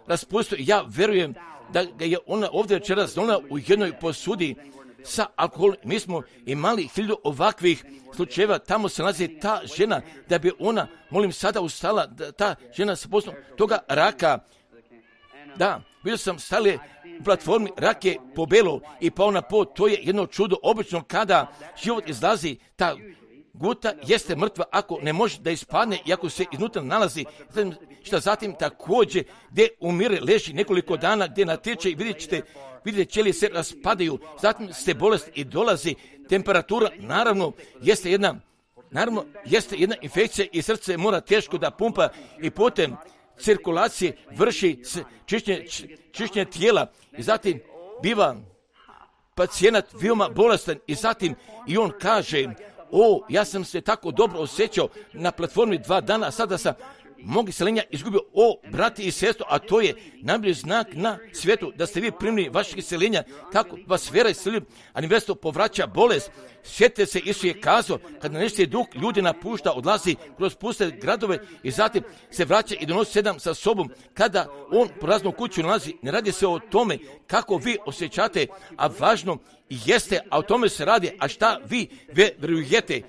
raspustio. Ja verujem da ga je ona ovdje večeras donela u jednoj posudi sa alkoholom. Mi smo imali 1000 ovakvih slučajeva. Tamo se nalazi ta žena, da bi ona, molim, sada ustala, da ta žena sa poslom toga raka. Da, vidio sam stale u platformi, rak je pobelo i pao na pod. To je jedno čudo. Obično kada život izlazi, ta guta jeste mrtva ako ne može da ispadne i ako se iznutra nalazi. Šta zatim također gdje umire, leži nekoliko dana, gdje natječe i vidite ćelije se raspadaju. Zatim ste bolest i dolazi temperatura. Naravno jeste jedna infekcija i srce mora teško da pumpa i putem cirkulacije vrši čišćenje tijela i zatim biva pacijent veoma bolestan i zatim i on kaže, ja sam se tako dobro osjećao na platformi 2 dana, a sada sam mog iseljenja izgubio. Brati i sestro, a to je najbolji znak na svijetu da ste vi primili vašeg iseljenja, kako vas vjera iselju, a nevjesto povraća bolest. Sjetite se, Isus je kazao, kad nečiji duh ljudi napušta, odlazi kroz puste gradove i zatim se vraća i donosi 7 sa sobom. Kada on po raznom kuću nalazi, ne radi se o tome kako vi osjećate, a važno jeste, a o tome se radi, a šta vi vjerujete.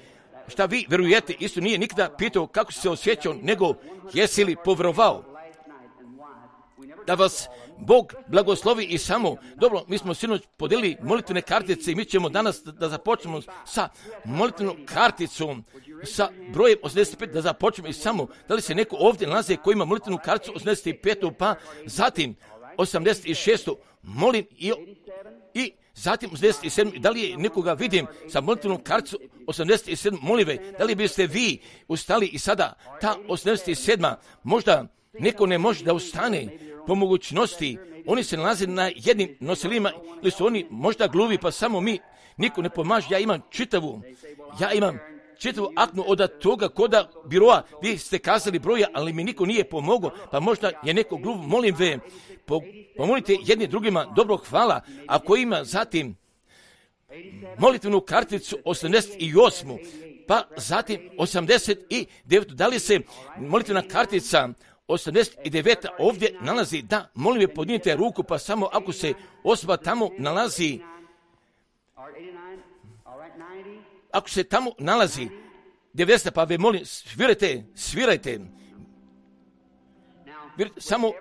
Šta vi vjerujete, Isus nije nikada pitao kako si se osjećao, nego jesi li povjerovao. Da vas Bog blagoslovi i samo. Dobro, mi smo sinoć podijelili molitvene kartice i mi ćemo danas da započnemo sa molitvenom karticom, sa brojem 85, da započnemo i samo. Da li se neko ovdje nalazi koji ima molitvenu karticu 85, pa zatim 86, molim i zatim 87, da li je nekoga vidim sa molitvenom karticu 87, molive, da li biste vi ustali i sada ta 87, možda neko ne može da ustane po mogućnosti, oni se nalaze na jednim nosilima ili su oni možda gluvi, pa samo niko ne pomaže. Ja imam čitavu aknu od toga koda biroa, vi ste kazali broja, ali mi niko nije pomogao, pa možda je neko gluv. Molim ve, pomolite jedni drugima, dobro, hvala. Ako ima zatim molitvenu karticu 88, pa zatim 89, da li se molitvena kartica 89 ovdje nalazi, da, molim je, podignite ruku, pa samo ako se osoba tamo nalazi, ako se tamo nalazi 90, pa ve molim, svirajte. Samo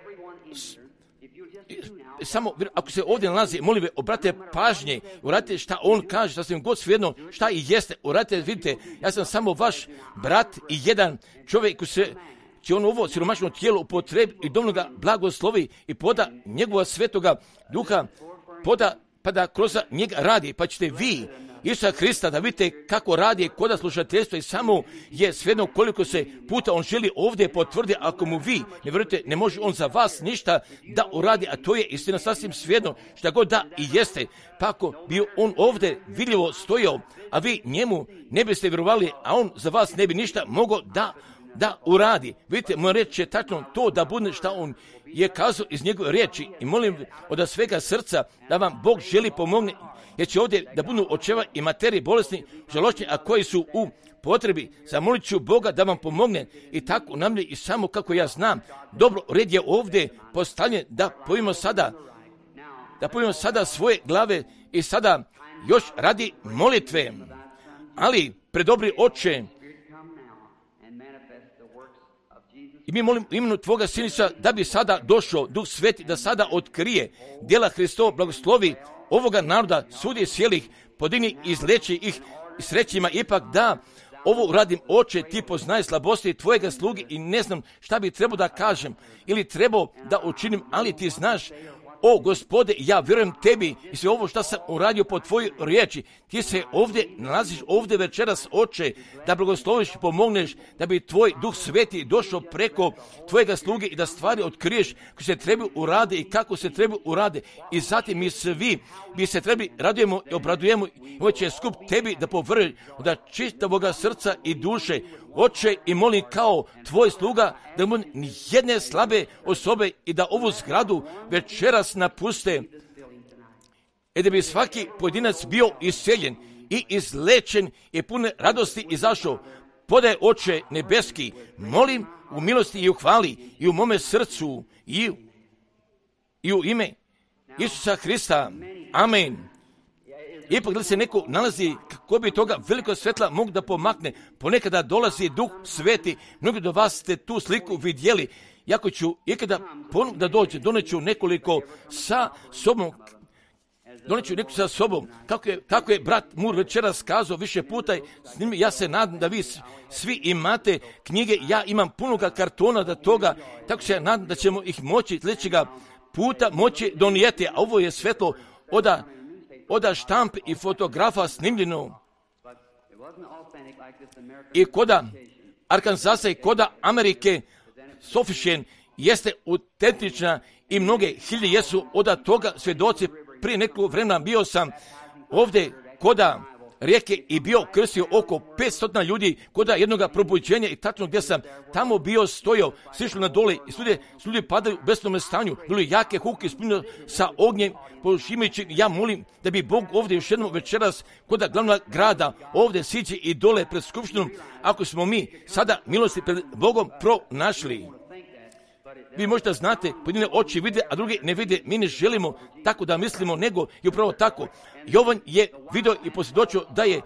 ako se ovdje nalazi, molim ve, obratite pažnje, uradite šta on kaže, šta sam god svejedno, šta i jeste, uradite, vidite, ja sam samo vaš brat i jedan čovjek koji će on ovo siromašno tijelo upotrebi i dovoljno ga blagoslovi i poda njegova svetoga duha, pa da kroz njega radi, pa ćete vi Isusa Krista da vidite kako radi koda slušateljstva i samo je svejedno koliko se puta on želi ovdje potvrdi. Ako mu vi ne vjerujete, ne može on za vas ništa da uradi, a to je istina sasvim svejedno šta god da i jeste. Pa ako bi on ovdje vidljivo stojao, a vi njemu ne biste vjerovali, a on za vas ne bi ništa mogao da uradi. Vidite, moja riječ je tačno to da bude šta on je kazao iz njegove riječi i molim od svega srca da vam Bog želi pomogne, jer će ovdje da budu očeva i materiji bolesni, žaločni, a koji su u potrebi. Zamolit ću Boga da vam pomogne i tako namlje i samo kako ja znam. Dobro, red je ovdje postavljen da pojmimo sada svoje glave i sada još radi molitve. Ali, predobri Oče, i mi molim u imenu Tvoga Siniša da bi sada došao Duh Sveti, da sada otkrije djela Hristova, blagoslovi ovoga naroda, sudi sjelih, podigni i izleči ih srećima, ipak da ovo uradim, Oče, Ti poznaje slabosti Tvojega sluge i ne znam šta bi trebao da kažem ili trebao da učinim, ali Ti znaš o Gospode, ja vjerujem tebi i sve ovo što sam uradio po tvojoj riječi. Ti se ovdje nalaziš, ovdje večeras, Oče, da blagosloviš i pomogneš, da bi tvoj Duh Sveti došao preko tvojega sluge i da stvari otkriješ koje se trebaju urade i kako se trebaju urade. I zatim mi svi bi se trebali radujemo i obradujemo i ovo će skup tebi da povrli da čistavoga srca i duše. Oče, i molim kao tvoj sluga da mu ni jedne slabe osobe i da ovu zgradu večeras napuste i da bi svaki pojedinac bio isceljen i izlečen i pune radosti izašao. Podaj, Oče nebeski, molim u milosti i u hvali i u mome srcu i u ime Isusa Hrista. Amen. Ipak da se neko nalazi kako bi toga veliko svetla mogu da pomakne, ponekada dolazi Duh Sveti, mnogi do vas ste tu sliku vidjeli, jako ću ikada ponovno da dođe, doneću nekoliko sa sobom, kako je brat Mur večeras kazao više puta, s njim ja se nadam da vi svi imate knjige, ja imam punoga kartona da toga, tako se nadam da ćemo ih moći sljedećega puta moći donijeti, a ovo je svetlo oda štamp i fotografa snimljeno i koda Arkansasa i koda Amerike Sofishen jeste autentična i mnoge hiljade jesu od toga svjedoci. Prije nekog vremena bio sam ovdje koda rijeke i bio krstio oko 500 ljudi koda jednoga probuđenja i tačno gdje sam tamo bio stojao, sišli na dole i ljudi padaju u besnome stanju, bili jake huke ispunjeno sa ognjem, pošimajući. Ja molim da bi Bog ovdje još jednom večeras koda glavnog grada ovdje siđe i dole pred skupštinom, ako smo mi sada milosti pred Bogom pronašli. Vi možda znate, pojedine oči vide, a drugi ne vide. Mi ne želimo tako da mislimo, nego je upravo tako. Jovan je vidio i posvjedočio da je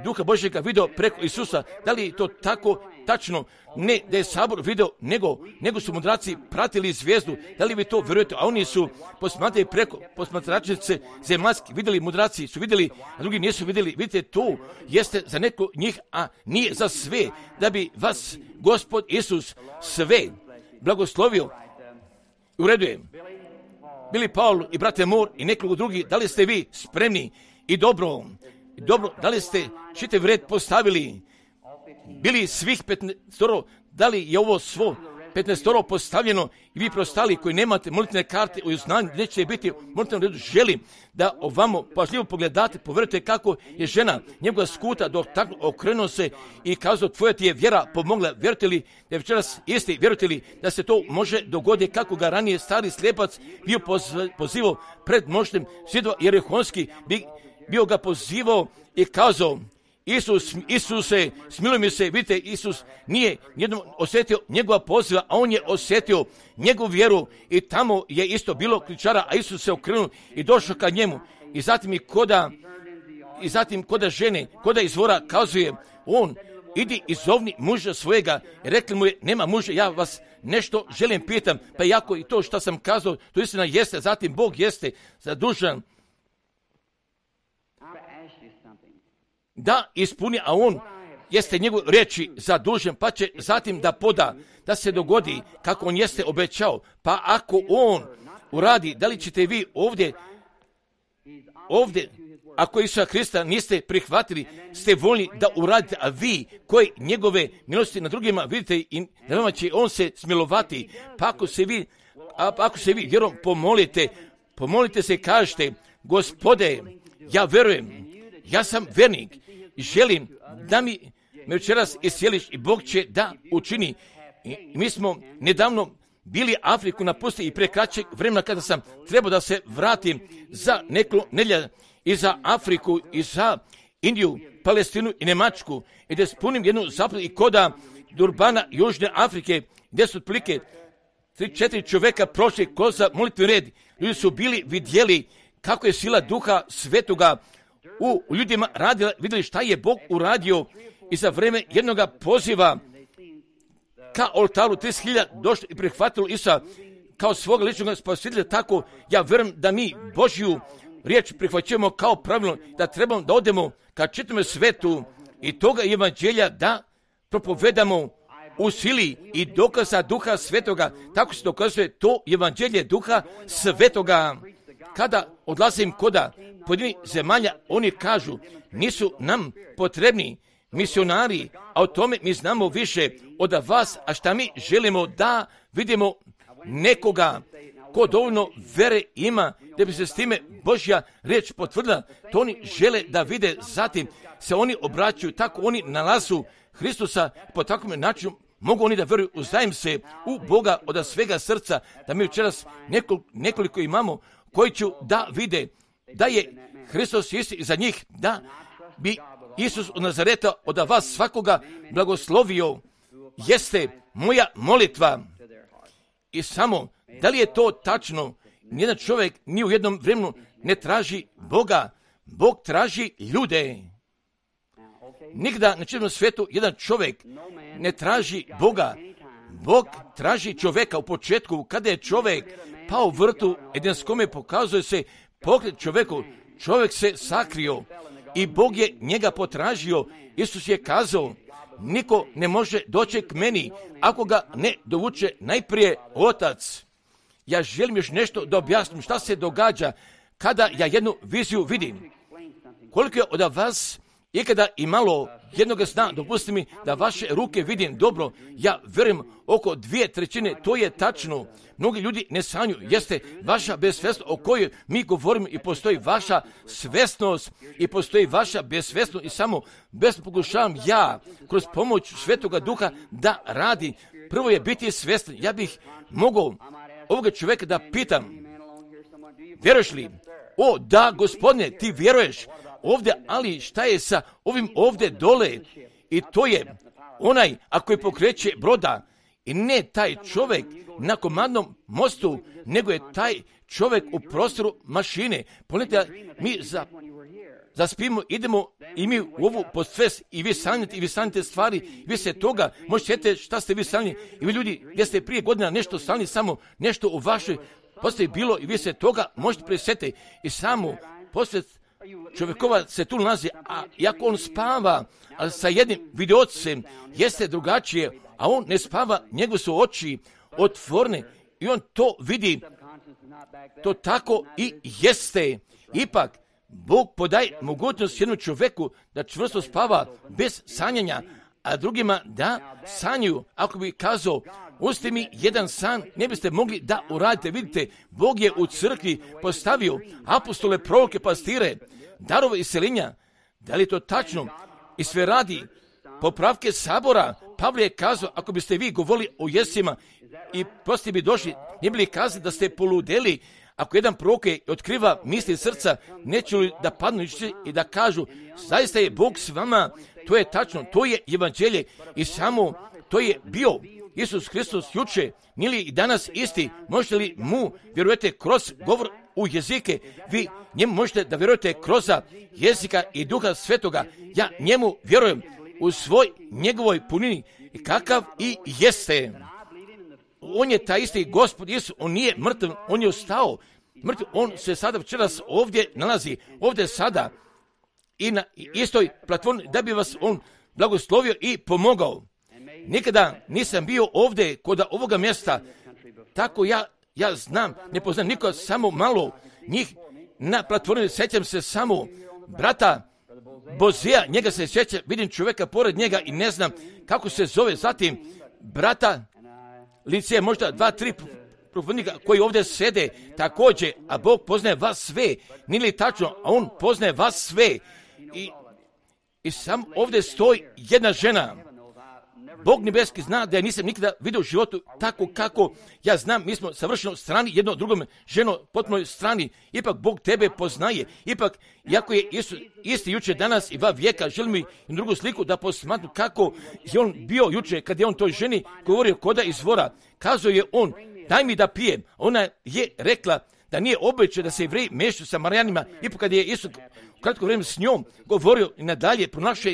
Duha Božjega vidio preko Isusa. Da li je to tako tačno? Ne da je sabor vidio, nego su mudraci pratili zvijezdu. Da li vi to vjerujete? A oni su posmatrali preko posmatračnice zemaljski, vidjeli mudraci, su vidjeli, a drugi nisu vidjeli. Vidite, to jeste za neko njih, a nije za sve. Da bi vas Gospod Isus sve blagoslovio. U redu je. Bili Paul i brate Mor i nekoliko drugih, da li ste vi spremni i dobro, da li ste čitav red postavili, bili svih 15, da li je ovo svo 15 postavljeno i vi prostali koji nemate molitvene karte u znanju, neće biti u molitvenom redu, želim da ovamo pažljivo pogledate, povjerujte kako je žena njegova skuta dok tako okrenuo se i kazao, tvoja ti je vjera pomogla. Vjerujete li da je večeras isti? Vjerujete li da se to može dogoditi kako ga ranije stari slijepac bio pozivao pred mnoštvom svjedova Jerihonski, bio ga pozivao i kazao, Isuse, smiluj mi se. Vidite, Isus nije jednom osjetio njegova poziva, a on je osjetio njegovu vjeru i tamo je isto bilo kričara, a Isus se okrenuo i došao ka njemu. I zatim koda žene, koda izvora kazuje, on, idi izovni muža svojega. I rekli mu je, nema muža, ja vas nešto želim pitam, pa jako i to što sam kazao, to istina jeste, zatim Bog jeste zadužan da ispuni, a on jeste njegov riječi zadužen, pa će zatim da poda, da se dogodi kako on jeste obećao. Pa ako on uradi, da li ćete vi ovdje, ako Isusa Hrista niste prihvatili, ste voljni da uradite, a vi koji njegove milosti na drugima vidite i na vama će on se smilovati. Pa ako se vi vjerom pomolite se i kažete, Gospode, ja verujem, ja sam vernik i želim da me večeras iscijeliš i Bog će da učini. I mi smo nedavno bili Afriku napustili i pre kraćeg vremena kada sam trebao da se vratim za nekoliko nedjelja i za Afriku i za Indiju, Palestinu i Njemačku i da spunim jednu zapadu i koda Durbana Južne Afrike gdje su otprilike 3-4 čovjeka prošli kroz molitveni red. Ljudi su bili vidjeli kako je sila Duha Svetoga u ljudima radila, vidjeli šta je Bog uradio i za vrijeme jednoga poziva ka oltaru 30.000 došlo i prihvatilo Isusa kao svoga ličnog spasitelja. Tako ja vjerujem da mi Božju riječ prihvaćujemo kao pravilno, da trebamo da odemo ka čitavom svetu i toga evanđelja da propovedamo u sili i dokaza Duha Svetoga. Tako se dokazuje to evanđelje Duha Svetoga. Kada odlazim koda pojedinih zemalja, oni kažu, nisu nam potrebni misionari, a o tome mi znamo više od vas, a šta mi želimo da vidimo nekoga ko dovoljno vere ima da bi se s time Božja riječ potvrdila. To oni žele da vide, zatim se oni obraćaju, tako oni nalazu Hristusa, po takvom načinu mogu oni da vjeruju, uzdajem se u Boga od svega srca, da mi večeras nekoliko imamo koji ću da vide da je Hristos isti za njih, da bi Isus od Nazareta od vas svakoga blagoslovio, jeste moja molitva. I samo, da li je to tačno? Nijedan čovjek ni u jednom vremenu ne traži Boga, Bog traži ljude. Nikada na čitavom svijetu jedan čovjek ne traži Boga. Bog traži čovjeka u početku, kada je čovjek pao u vrtu Edenskome, pokazuje se pogled čovjeku. Čovjek se sakrio i Bog je njega potražio. Isus je kazao, niko ne može doći k meni ako ga ne dovuče najprije Otac. Ja želim još nešto da objasnim šta se događa kada ja jednu viziju vidim. Koliko je od vas ikada imalo jednoga sna, dopustite mi da vaše ruke vidim dobro, ja vjerujem oko 2/3, to je tačno. Mnogi ljudi ne sanju, jeste vaša besvesnost o kojoj mi govorimo i postoji vaša svesnost i postoji vaša besvesnost i samo bez pokušavam ja kroz pomoć Svetoga Duha da radi. Prvo je biti svjestan. Ja bih mogao ovoga čovjeka da pitam, vjeruješ li? O, da, Gospodine, ti vjeruješ ovdje, ali šta je sa ovim ovdje dole? I to je onaj, ako je pokreće broda, i ne taj čovjek na komandnom mostu, nego je taj čovjek u prostoru mašine. Pogledajte, mi zaspimo, idemo i mi u ovu postvest i vi sanjate stvari, vi se toga, možete sjetiti šta ste vi sanjali i vi ljudi, gdje ste prije godina nešto sanjali, samo nešto u vašoj postoji bilo i vi se toga možete presjetiti i samo posvest čovjekova se tu nalazi, a iako on spava, ali sa jednim videocem jeste drugačije, a on ne spava, njegove su oči otvorene i on to vidi. To tako i jeste. Ipak, Bog podaje mogućnost jednom čovjeku da čvrsto spava bez sanjanja, a drugima da sanjaju. Ako bi kazao, uzmite mi jedan san, ne biste mogli da uradite. Vidite, Bog je u crkvi postavio apostole, proroke, pastire, darove iseljenja. Da li je to tačno? I sve radi popravke sabora. Pavle je kazao, ako biste vi govorili o jesima i poslije bi došli, ne bili kazali da ste poludeli. Ako jedan prorok otkriva misli srca, neće li da padnu i da kažu, zaista je Bog s vama, to je tačno, to je evanđelje i samo to je bio Isus Hristos juče, nije li i danas isti, možete li mu vjerujete kroz govor u jezike, vi njemu možete da vjerujete kroz jezika i Duha Svetoga, ja njemu vjerujem u svoj njegovoj punini i kakav i jeste. On je taj isti Gospod Isus, on nije mrtav, on je ostao mrtav, on se sada večeras ovdje nalazi, ovdje sada i na istoj platformi da bi vas on blagoslovio i pomogao. Nikada nisam bio ovdje kod ovoga mjesta, tako ja znam, ne poznam niko, samo malo njih na platformi, sjećam se samo brata Bozija, njega se sjećam, vidim čovjeka pored njega i ne znam kako se zove, zatim brata Lice, možda 2-3 propovjednika koji ovdje sede također, a Bog poznaje vas sve, nije li tačno, a on poznaje vas sve i sam ovdje stoji jedna žena. Bog nebeski zna da ja nisam nikada vidio u životu tako kako ja znam, mi smo savršeno strani, jedno drugom ženo potpunoj strani, ipak Bog tebe poznaje, ipak, iako je Isus isti juče, danas i 2 vijeka, želim mi drugu sliku da posmatru kako je on bio juče, kad je on toj ženi govorio koda izvora, kazao je on, daj mi da pijem, ona je rekla da nije običaj da se Jevreji mešaju sa Marijanima, ipak kad je Isus kratko vrijeme s njom govorio i nadalje pronašao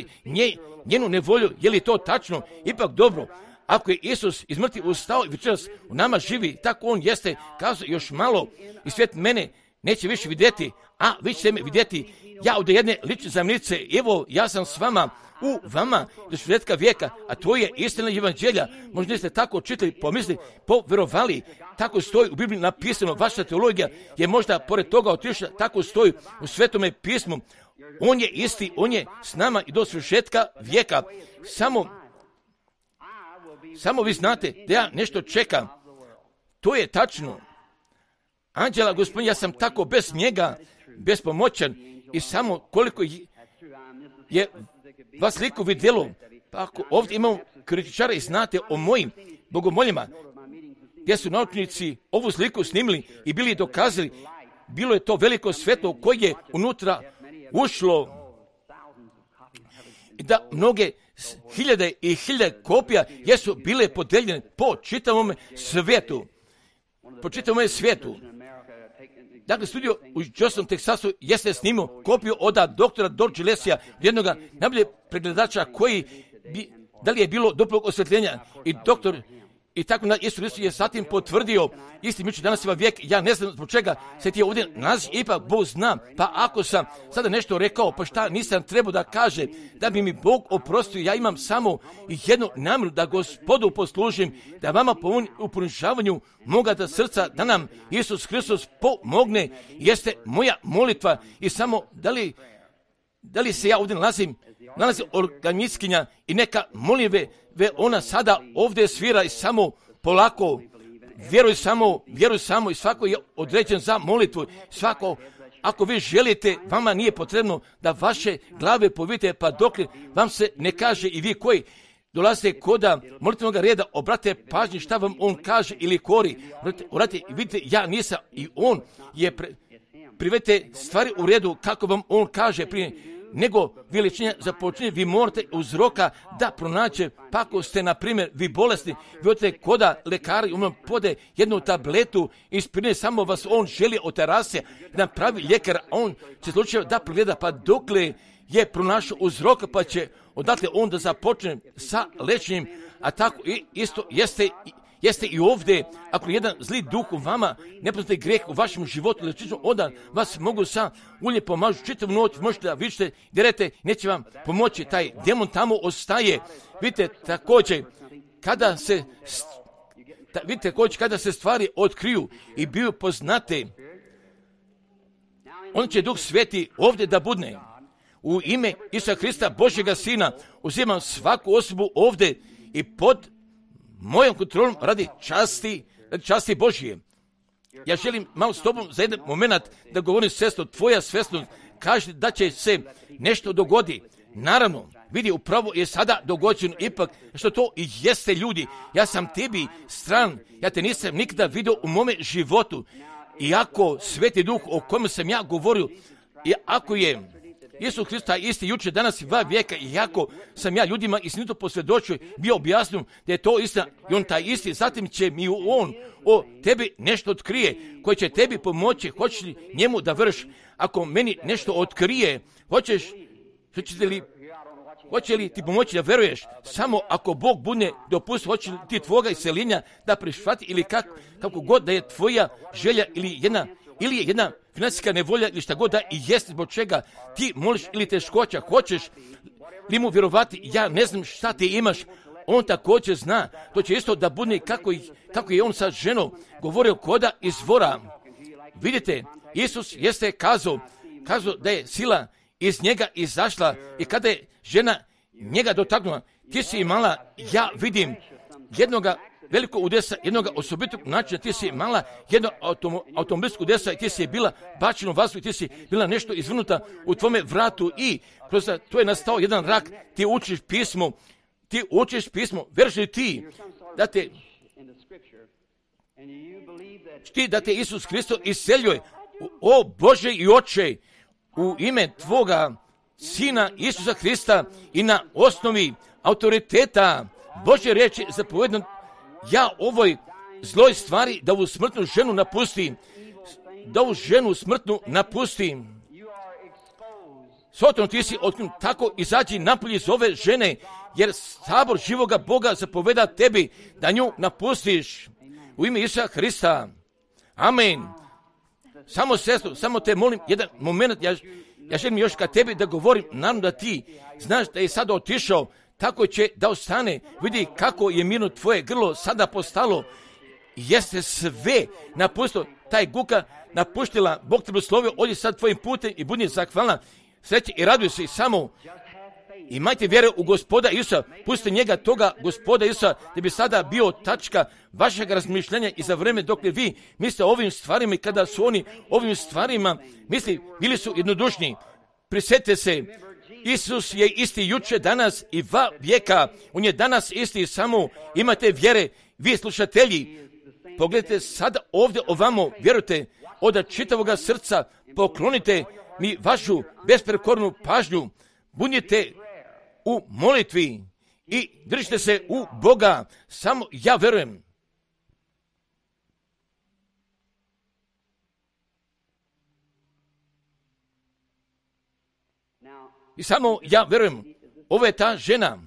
njenu nevolju, je li to tačno? Ipak dobro, ako je Isus iz mrtvih ustao i večeras u nama živi, tako on jeste, kazao još malo i svijet mene neće više vidjeti, a vi ćete me vidjeti ja od jedne lične zamnice. Evo, ja sam s vama, u vama do svršetka vijeka, a to je istina evanđelja. Možda niste tako čitali, pomislili, poverovali, tako stoji u Bibliji napisano. Vaša teologija je možda pored toga otišla, tako stoji u Svetome pismu. On je isti, on je s nama i do svršetka vijeka. Samo vi znate da ja nešto čekam. To je tačno. Anđela Gospodin, ja sam tako bez njega, bespomoćan i samo koliko je vas liku vidjelo. Pa ako ovdje imamo kritičara i znate o mojim bogomoljima, gdje su naučnici ovu sliku snimili i bili dokazali, bilo je to veliko svjetlo koje je unutra ušlo i da mnoge hiljade i hiljade kopija jesu bile podeljene po čitavom svijetu. Dakle, studio u Houston, Teksasu jeste snimio kopiju od doktora George Lesija, jednog najboljeg pregledača koji da li je bilo duplog osvjetljenja i doktor i tako na Isus Hristos je zatim potvrdio isti miče danas ima vijek. Ja ne znam zbog čega se ti ovdje nalazi, ipak Bog zna. Pa ako sam sada nešto rekao, pa šta nisam trebao da kaže, da bi mi Bog oprostio, ja imam samo jednu namjeru da Gospodu poslužim, da vama u ponižavanju moga da srca, da nam Isus Hristos pomogne, jeste moja molitva. I samo da li se ja ovdje nalazi organistkinja i neka moljive, ona sada ovdje svira i samo polako, vjeruj samo i svako je određen za molitvu. Svako, ako vi želite, vama nije potrebno da vaše glave povite, pa dok vam se ne kaže i vi koji dolazite koda molitvenog reda, obrate pažnji šta vam on kaže ili kori. Vidite, ja nisam i on je privedite stvari u redu kako vam on kaže prije nego veličine započinje, vi morate uzroka da pronaće, pa ako ste, na primjer, vi bolesni, vi odete koda lekari, on vam pode jednu tabletu i ispirine, samo vas on želi oterase, da pravi ljekar, on će slučajno da pregleda, pa dokle je pronašao uzroka, pa će odatle on da započne sa lečenjem, a tako i isto jeste i ovdje, ako jedan zli duh u vama, nepoznati grijeh u vašem životu, onda vas mogu sa ulje pomažu čitavu noć, možete da vidite, derete, neće vam pomoći, taj demon tamo ostaje. Vidite, također, kada se stvari otkriju i biju poznate, on će Duh Sveti ovdje da budne. U ime Isusa Hrista, Božjega Sina, uzimam svaku osobu ovdje i pod mojom kontrolom radi časti Božije. Ja želim malo s tobom za jedan moment da govorim, sestro, tvoja svjesnost kaže da će se nešto dogodi. Naravno, vidi, upravo je sada dogođeno, ipak što to i jeste, ljudi. Ja sam tebi stran, ja te nisam nikada vidio u mome životu. Iako Sveti Duh o kojem sam ja govorio, i ako je Isus Hrista isti jučer, danas i 2 vijeka, iako sam ja ljudima istinito posvjedočio, bio objasnio da je to istina i on taj isti, zatim će mi on o tebi nešto otkrije, koji će tebi pomoći. Hoćeš li njemu da vrš? Ako meni nešto otkrije, hoće li ti pomoći da veruješ? Samo ako Bog bude dopustio, hoće li ti tvoga iseljenja da prihvati, ili kako god da je tvoja želja ili je jedna financijska nevolja ili šta god da i jest, zbog čega ti moliš, ili teškoća, hoćeš li mu vjerovati? Ja ne znam šta ti imaš, on također zna. To će isto da bude kako je on sa ženom govorio koda izvora. Vidite, Isus jeste kazao da je sila iz njega izašla i kada je žena njega dotaknula, ti si imala, ja vidim, jednoga velikog udesa, jednog osobitog načina, ti si imala jedno automobilskog udesa i ti si bila bačena u vazduh i ti si bila nešto izvrnuta u tvome vratu i kroz to je nastao jedan rak. Ti učiš pismo, vjeruješ li ti da te Isus Hristos iseljuje, o Bože i Oče, u ime tvoga Sina Isusa Hrista i na osnovi autoriteta Božje riječi zapovedno, ja ovoj zloj stvari da ovu smrtnu ženu napustim. Sotron, ti si otkrenut, tako izađi napolje iz ove žene, jer sabor živoga Boga zapoveda tebi da nju napustiš. U ime Isusa Hrista. Amen. Samo sestru, samo te molim, jedan moment, ja želim još ka tebi da govorim, naravno da ti znaš da je sada otišao, tako će da ostane. Vidi kako je mirno tvoje grlo sada postalo. Jeste sve napustilo, taj guka napuštila, Bog te blagoslovio, odi sad tvojim putem i budi zahvalna, sreće i raduj se i samo imajte vjere u Gospoda Isusa, pustite njega, toga Gospoda Isusa, da bi sada bio tačka vašeg razmišljanja i za vreme dok vi mislite o ovim stvarima i kada su oni ovim stvarima, bili su jednodušni. Prisjetite se, Isus je isti juče, danas i va vijeka, on je danas isti, samo imate vjere, vi slušatelji, pogledajte sada ovdje ovamo, vjerujte, od čitavoga srca poklonite mi vašu besprekornu pažnju, budite u molitvi i držite se u Boga, samo ja verujem. I samo ja verujem, ovo je ta žena.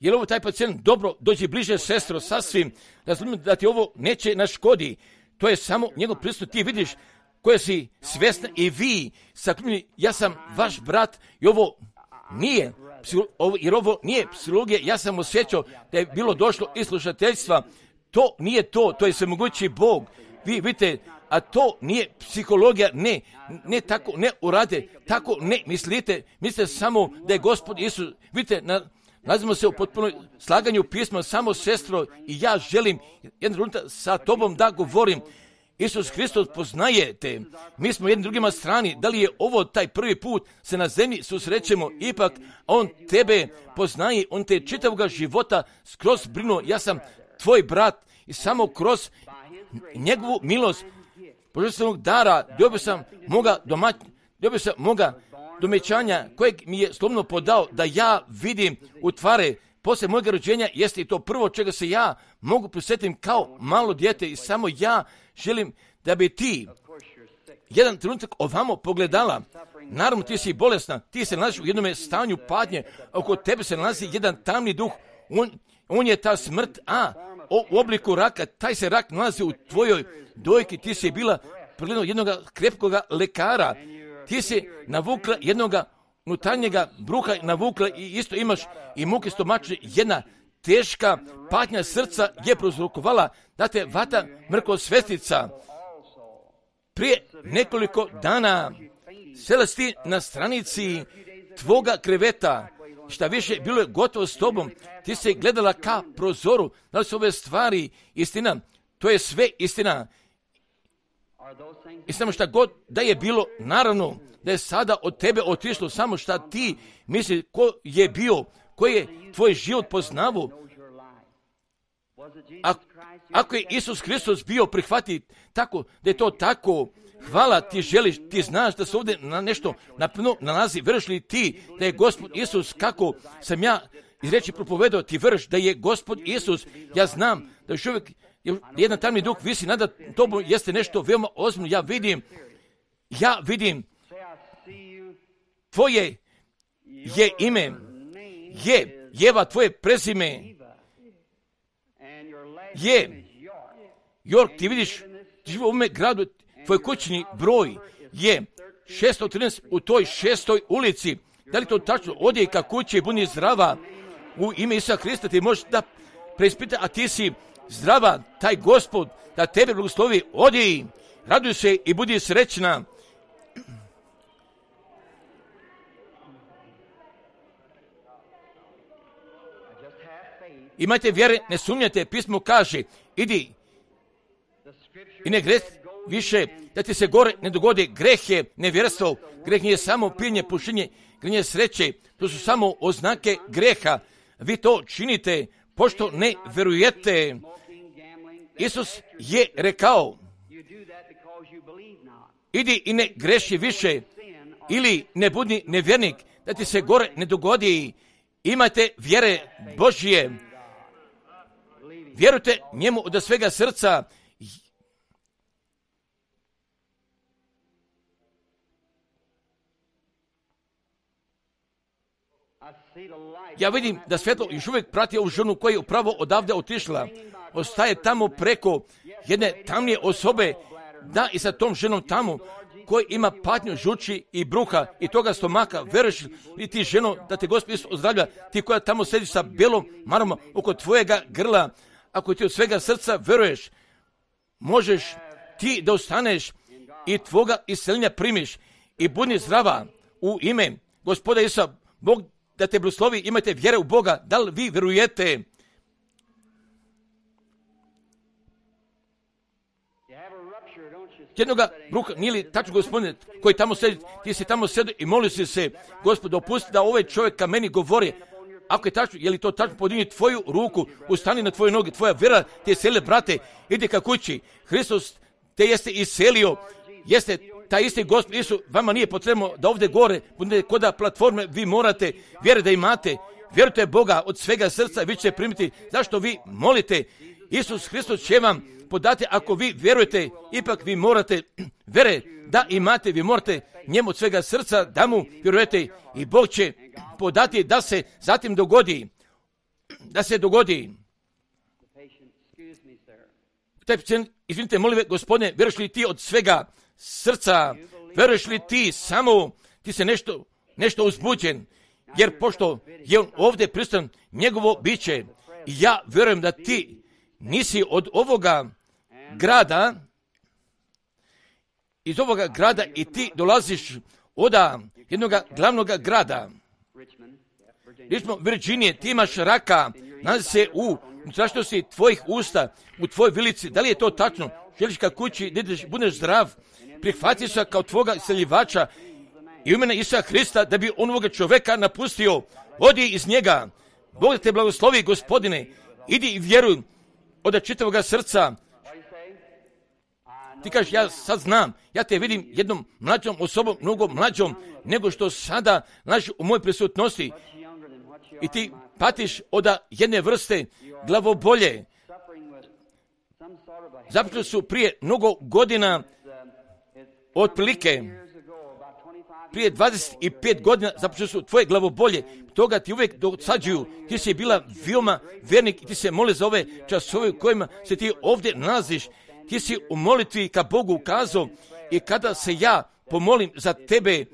Je li ovo taj pacijent? Dobro, dođi bliže, sestro, sasvim, razumijem da ti ovo neće naškodi. To je samo njegov pristup, ti vidiš koje si svjesna i vi sakljeni, ja sam vaš brat i ovo nije, jer ovo nije psihologija, ja sam osjećao da je bilo došlo iz slušateljstva, to nije to, to je svemogući Bog, vi vidite, a to nije psihologija, ne tako, ne urade, tako ne mislite samo da je Gospod Isus, vidite, nalazimo se u potpunoj slaganju pisma, samo sestro i ja želim jedan trenutak sa tobom da govorim. Isus Hristos poznajete, mi smo jednim drugima strani, da li je ovo taj prvi put se na zemlji susrećemo, ipak on tebe poznaje, on te čitavoga života skroz brinuo, ja sam tvoj brat i samo kroz njegovu milost, božanstvenog dara, dobio sam moga domećanja kojeg mi je slobodno podao da ja vidim u tvare. Poslije mojega rođenja jeste i to prvo čega se ja mogu prisjetiti kao malo dijete i samo ja želim da bi ti jedan trenutak ovamo pogledala. Naravno ti si bolesna, ti se nalaziš u jednom stanju patnje, oko tebe se nalazi jedan tamni duh, on je ta smrt, u obliku raka, taj se rak nalazi u tvojoj dojki, ti si bila pregledao jednog krepkoga lekara, ti si navukla jednoga unutarnjega bruha, navukla i isto imaš i muke stomačne, jedna teška patnja srca je prouzrokovala da te vata mrkosvestica. Prije nekoliko dana sela si ti na stranici tvoga kreveta, šta više bilo je gotovo s tobom, ti se gledala ka prozoru, da li su ove stvari istina, to je sve istina. I samo šta god da je bilo, naravno da je sada od tebe otišlo, samo šta ti misli ko je bio, koji je tvoj život poznavu. Ako je Isus Hristos bio prihvati tako, da je to tako, hvala ti želiš, ti znaš da se ovdje na nešto napuno nalazi, vjeruješ li ti da je Gospod Isus, kako sam ja iz riječi propovedao, ti vjeruješ da je Gospod Isus, ja znam da još uvijek jedan tamni duh visi nada tobom, jeste nešto veoma ozbiljno, ja vidim, tvoje je ime, Jeva, tvoje prezime, je York, ti vidiš, ti živi u ovome gradu, tvoj kućni broj je 613 u toj 6. ulici. Da li to tačno? Odi ka kući i budi zdrava. U ime Isusa Hrista ti možeš da preispita, a ti si zdrava, taj Gospod da tebe blagoslovi. Odi, raduj se i budi srećna. Imajte vjere, ne sumnjate, pismo kaže, idi i ne greh više, da ti se gore ne dogodi. Greh je nevjerstvo, greh nije samo pijenje, pušenje, greh je sreće, to su samo oznake greha. Vi to činite, pošto ne verujete. Isus je rekao, idi i ne greši više, ili ne budi nevjernik, da ti se gore ne dogodi. Imajte vjere Božje, vjerujte njemu od svega srca. Ja vidim da svjetlo još uvijek prati ovu ženu koja je upravo odavde otišla. Ostaje tamo preko jedne tamnije osobe da i sa tom ženom tamo, koji ima patnju žuči i bruha i toga stomaka, veruješ li ti ženo da te Gospod Isus ozdravlja, ti koja tamo sediš sa belom marom oko tvojega grla, ako ti od svega srca veruješ, možeš ti da ostaneš i tvoga isceljenja primiš i budi zdrava u ime Gospoda Isusa. Bog da te blagoslovi, imajte vjere u Boga. Da li vi verujete? Jednoga bruha, nije li tačno, Gospodine, koji tamo sedi, ti si tamo sedio i molio si se, Gospod, dopusti da ovaj čovjek ka meni govori. Ako je tačno, je li to tačno, podigni tvoju ruku, ustani na tvoje noge, tvoja vjera te iscelila, brate, idi ka kući. Hristos te jeste iscelio, jeste taj isti Gospod Isus, vama nije potrebno da ovdje gore, budete kod platforme, vi morate vjere da imate, vjerujte Boga od svega srca, vi ćete primiti. Zašto vi molite? Isus Hristos će vam podati, ako vi vjerujete, ipak vi morate vjere da imate, vi morate njemu od svega srca da mu vjerujete i Bog će podati da se zatim dogodi. Da se dogodi. Izvinite, molim vas, Gospodine, vjeruješ li ti od svega srca, vjeruješ li ti samo, ti se nešto uzbuđen, jer pošto je on ovdje prisutan, njegovo biće, i ja vjerujem da ti nisi od ovoga grada, iz ovoga grada i ti dolaziš od jednog glavnog grada, Richmond, Virginije, ti imaš raka, nalazi se u unutrašnjosti tvojih usta, u tvojoj vilici. Da li je to tačno? Želiš ka kući, da budeš zdrav, prihvati se kao tvoga isceljivača i u imena Isusa Hrista, da bi on ovoga čovjeka napustio. Odi iz njega. Bog da te blagoslovi, Gospodine. Idi i vjeruj od čitavoga srca. Ti kažeš, ja sad znam, ja te vidim jednom mlađom osobom, mnogo mlađom nego što sada naš u mojoj prisutnosti. I ti patiš od jedne vrste glavobolje. Započeli su prije mnogo godina, otprilike prije 25 godina započeli su tvoje glavobolje. Toga ti uvijek dosađuju. Ti si bila veoma vjernik i ti se moli za ove časove u kojima se ti ovdje nalaziš. Ti si u molitvi ka Bogu ukazao i kada se ja pomolim za tebe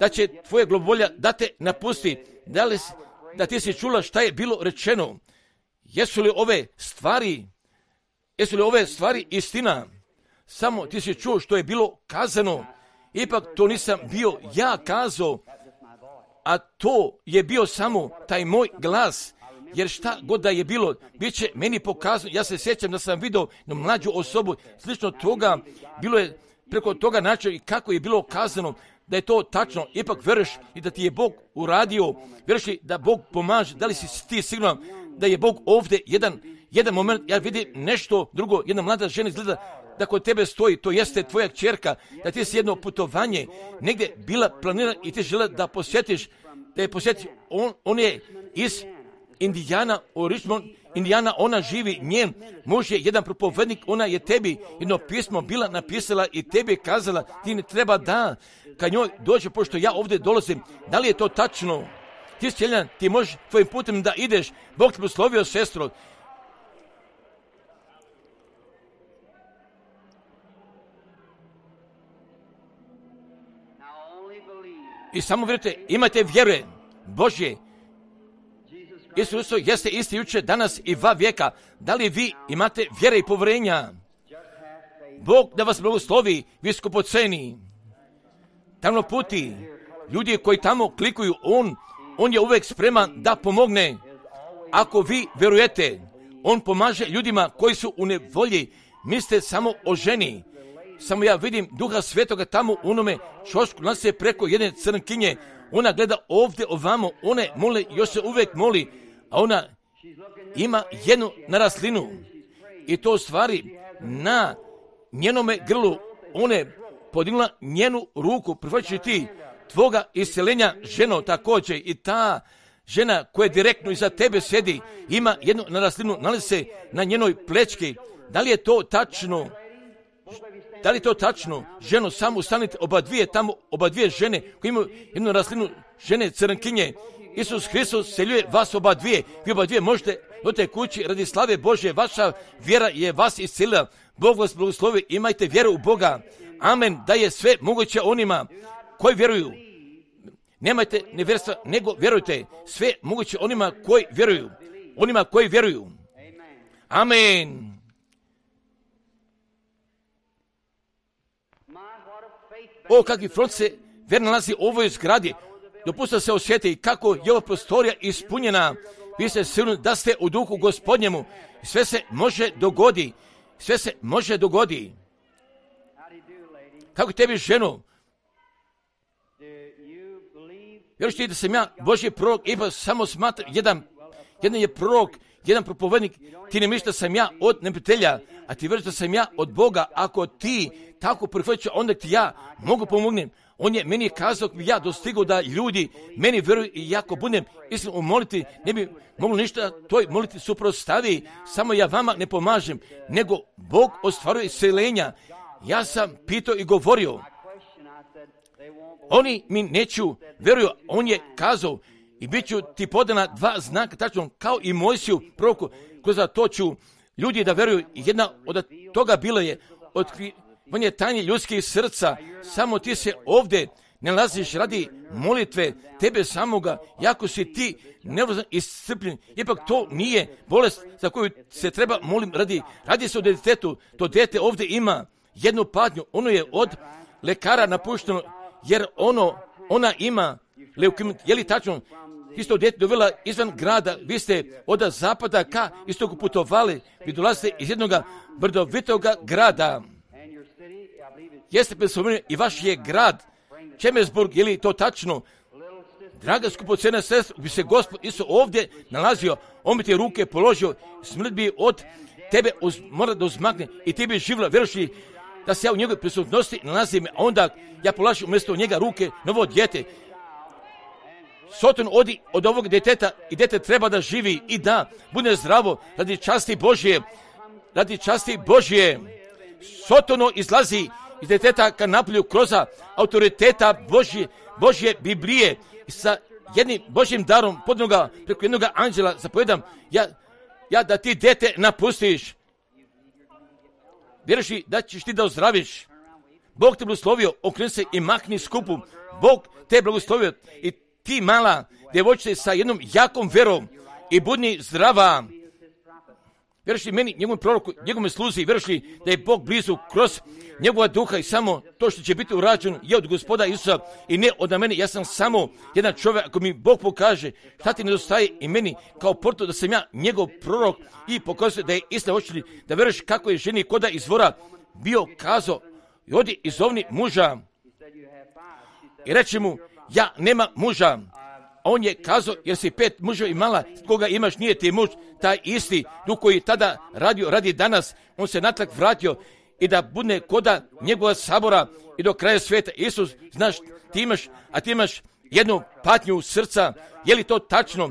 da će tvoje glavobolja da te napusti, da ti si čula šta je bilo rečeno. Jesu li ove stvari istina? Samo ti si čuo što je bilo kazano. Ipak to nisam bio ja kazao, a to je bio samo taj moj glas. Jer šta god da je bilo, bit će meni pokazano. Ja se sjećam da sam vidio na mlađu osobu, slično toga, bilo je preko toga načina i kako je bilo kazano da je to tačno. Ipak veruješ i da ti je Bog uradio, veruješ li da Bog pomaže, da li si ti siguran da je Bog ovdje jedan moment, ja vidim nešto drugo, jedna mlada žena izgleda da kod tebe stoji, to jeste tvoja kćerka, da ti si jedno putovanje negdje bila planirana i ti žele da posjetiš, da je posjetiš, on je iz Indijana, u Richmond, Indijana, ona živi, njen muž je jedan propovednik, ona je tebi jedno pismo bila napisala i tebi kazala, ti ne treba da ka njoj dođe, pošto ja ovdje dolazim. Da li je to tačno? Ti sjeljan, ti možeš tvojim putem da ideš, Bog te blagoslovio, sestro. I samo vjerujte, imate vjere Božje. Isus jeste isti jučer, danas i va vijeka. Da li vi imate vjere i povjerenja? Bog da vas blagoslovi, viskupoceni. Tamo puti, ljudi koji tamo klikuju, on je uvijek spreman da pomogne. Ako vi vjerujete, on pomaže ljudima koji su u nevolji. Mislite samo o ženi. Samo ja vidim Duha Svetoga tamo u onome čošku, nas se preko jedne crnkinje. Ona gleda ovdje ovamo, one mole, još se uvijek moli, a ona ima jednu naraslinu. I to u stvari na njenome grlu, ona je podigla njenu ruku, prihvaćajući ti tvoga isceljenja, ženo također. I ta žena koja direktno iza tebe sjedi, ima jednu naraslinu, nalazi se na njenoj plečki. Da li je to tačno? Da li je to tačno? Ženo, samo ustanite, oba dvije žene koje imaju jednu rastlinu, žene crnkinje. Isus Hristos seljuje vas oba dvije. Vi oba dvije možete do te kući radi slave Božje. Vaša vjera je vas iscelila. Bog vas blagoslovi, imajte vjeru u Boga. Amen, da je sve moguće onima koji vjeruju. Nemajte nevjerstva, nego vjerujte. Sve moguće onima koji vjeruju. Onima koji vjeruju. Amen. O, kakvi front se vjer nalazi u ovoj zgradi. Dopustite se osjeti kako je ova prostorija ispunjena. Vi ste sigurni da ste u duhu Gospodnjemu. Sve se može dogodi. Sve se može dogodi. Kako tebi, ženo? Vjeruš ti da sam ja Božji prorok, ipak samo smatram jedan je prorok, jedan propovednik. Ti ne misliš da sam ja od neprijatelja, a ti vjeruješ da sam ja od Boga. Ako ti tako prihvaćaš, onda ti ja mogu pomognem. On je meni kazao, ja dostigao da ljudi meni vjeruju i jako budem iskreno u moliti, ne bi moglo ništa toj moliti suprotstavi. Samo ja vama ne pomažem, nego Bog ostvaruje isceljenja. Ja sam pitao i govorio. Oni mi neću vjeruju, on je kazao i bit ću ti podana 2 znaka, tačno kao i Mojsiju proroku, kroz to ću ljudi da vjeruju. Jedna od toga bilo je otkrivanje tajni ljudskih srca. Samo ti se ovdje ne nalaziš radi molitve tebe samoga, jako si ti nervozan i iscrpljen. Ipak to nije bolest za koju se treba molim radi se o djetetu. To dijete ovdje ima jednu patnju, ono je od lekara napušteno, jer ona ima leukemiju. Je li tačno? Isto dijete dovela izvan grada, vi ste od zapada ka istoku putovali, vi dolazite iz jednog brdovitog grada. Jeste predstavljeni i vaš je grad Čemesburg, je li to tačno? Draga skupocena sestra, bi se Gospod Isus ovdje nalazio, on bi ti ruke položio, smrt bi od tebe mora da uzmakne i ti bi živjela, vjerujući da se ja u njegovoj prisutnosti nalazim, a onda ja polažim umjesto njega ruke novo dijete. Soton odi od ovog djeteta i dijete treba da živi i da bude zdravo radi časti Božje. Radi časti Božje. Sotono izlazi iz djeteta ka napolju kroz autoriteta Božje Biblije i sa jednim Božjim darom podnoga preko jednog anđela zapovedam ja da ti dijete napustiš. Vjeruš da ćeš ti da ozdraviš. Bog te blagoslovio, okreni se i mahni skupu. Bog te blagoslovio i ti mala djevojčice sa jednom jakom vjerom i budni zdrava. Vjeruš li meni, njegovom proroku, njegovom sluzi, vjeruš li da je Bog blizu kroz njegova duha i samo to što će biti urađeno je od Gospoda Isusa i ne od mene. Ja sam samo jedan čovjek, ako mi Bog pokaže šta ti nedostaje i meni kao porto da sam ja njegov prorok i pokazuje da je istina, hoće li da vjeruješ kako je ženi koda izvora bio kazao i odi izovni muža i reći mu ja nema muža. On je kazao, jer si 5 muževa imala, koga imaš nije ti muž, taj isti duh koji tada radi danas, on se natrag vratio i da bude koda njegova sabora i do kraja svijeta. Isus, znaš, ti imaš jednu patnju srca, je li to tačno?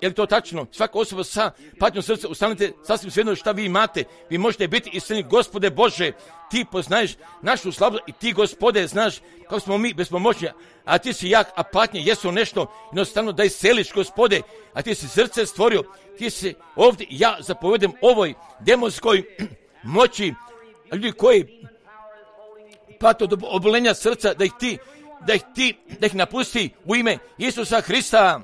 Je li to tačno? Svaka osoba sa patnjom srca, ustanite sasvim svejedno šta vi imate. Vi možete biti istinni, Gospode Bože, ti poznaješ našu slabost i ti, Gospode, znaš kako smo mi bespomoćni, a ti si jak, a patnje jesu nešto jednostavno da isceliš, Gospode, a ti si srce stvorio, ti si ovdje, ja zapovedem ovoj demonskoj moći, ljudi koji pate od obolenja srca, da ih napusti u ime Isusa Hrista.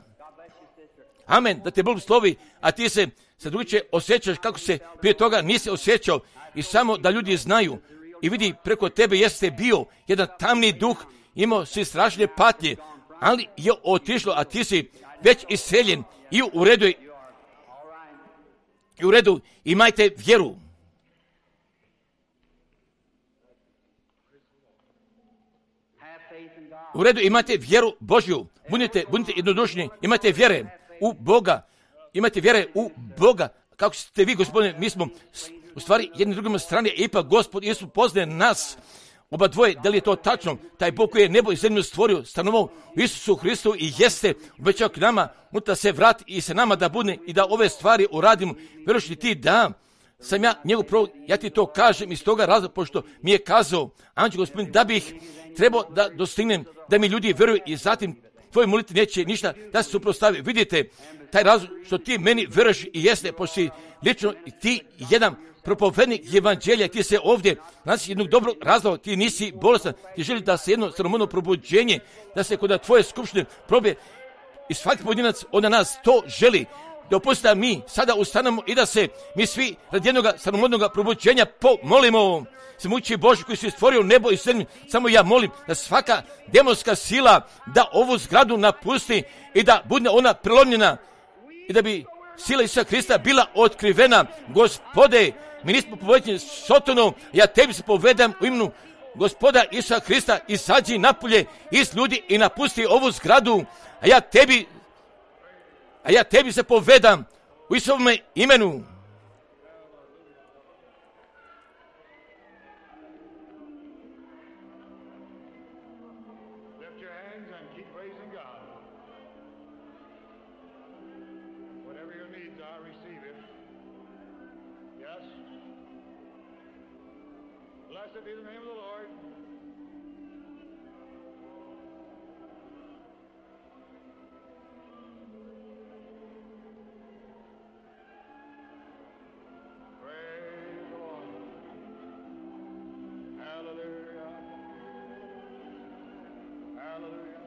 Amen, da te Bog slovi, a ti se drugačije osjećaš kako se prije toga nisi osjećao i samo da ljudi znaju i vidi preko tebe jeste bio jedan tamni duh, imao si strašne patnje, ali je otišlo, a ti si već iseljen i u redu imajte vjeru. U redu imate vjeru Božju, budite jednodušni, imate vjere u Boga, imate vjere u Boga, kako ste vi, Gospodine, mi smo u stvari jednim drugim strane, ipak Gospod Isus poznaje nas, oba dvoje, da li je to tačno, taj Bog koji je nebo i zemlju stvorio, stanovao u Isusu Hristu i jeste obećao k nama, unutra se vrati i se nama da bude i da ove stvari uradimo. Vjeruš li ti da sam ja njegov prorok, ja ti to kažem iz toga razloga, pošto mi je kazao anđel Gospodin da bih trebao da dostignem, da mi ljudi vjeruju i zatim tvoje molitve neće ništa da se suprotstavi. Vidite, taj razlog što ti meni veruješ i jeste, pošto lično ti jedan propovednik evanđelja, ti se ovdje, znači jednog dobrog razloga, ti nisi bolestan, ti želi da se jedno sramotno probuđenje, da se kod tvoje skupštine probije i svaki pojedinac od nas to želi. Dopusti da mi sada ustanemo i da se mi svi radi jednog sramotnog probuđenja pomolimo. Svemogući Bože koji si stvorio nebo i zemlju, samo ja molim da svaka demonska sila da ovu zgradu napusti i da bude ona prelomljena i da bi sila Isusa Hrista bila otkrivena. Gospode, mi nismo povedeni Sotonom, ja tebi se povedam u imenu Gospoda Isusa Hrista, izađi napolje iz ljudi i napusti ovu zgradu, a ja tebi se povedam u Isusovome imenu. Blessed be the name of the Lord. Praise the Lord. Hallelujah. Hallelujah.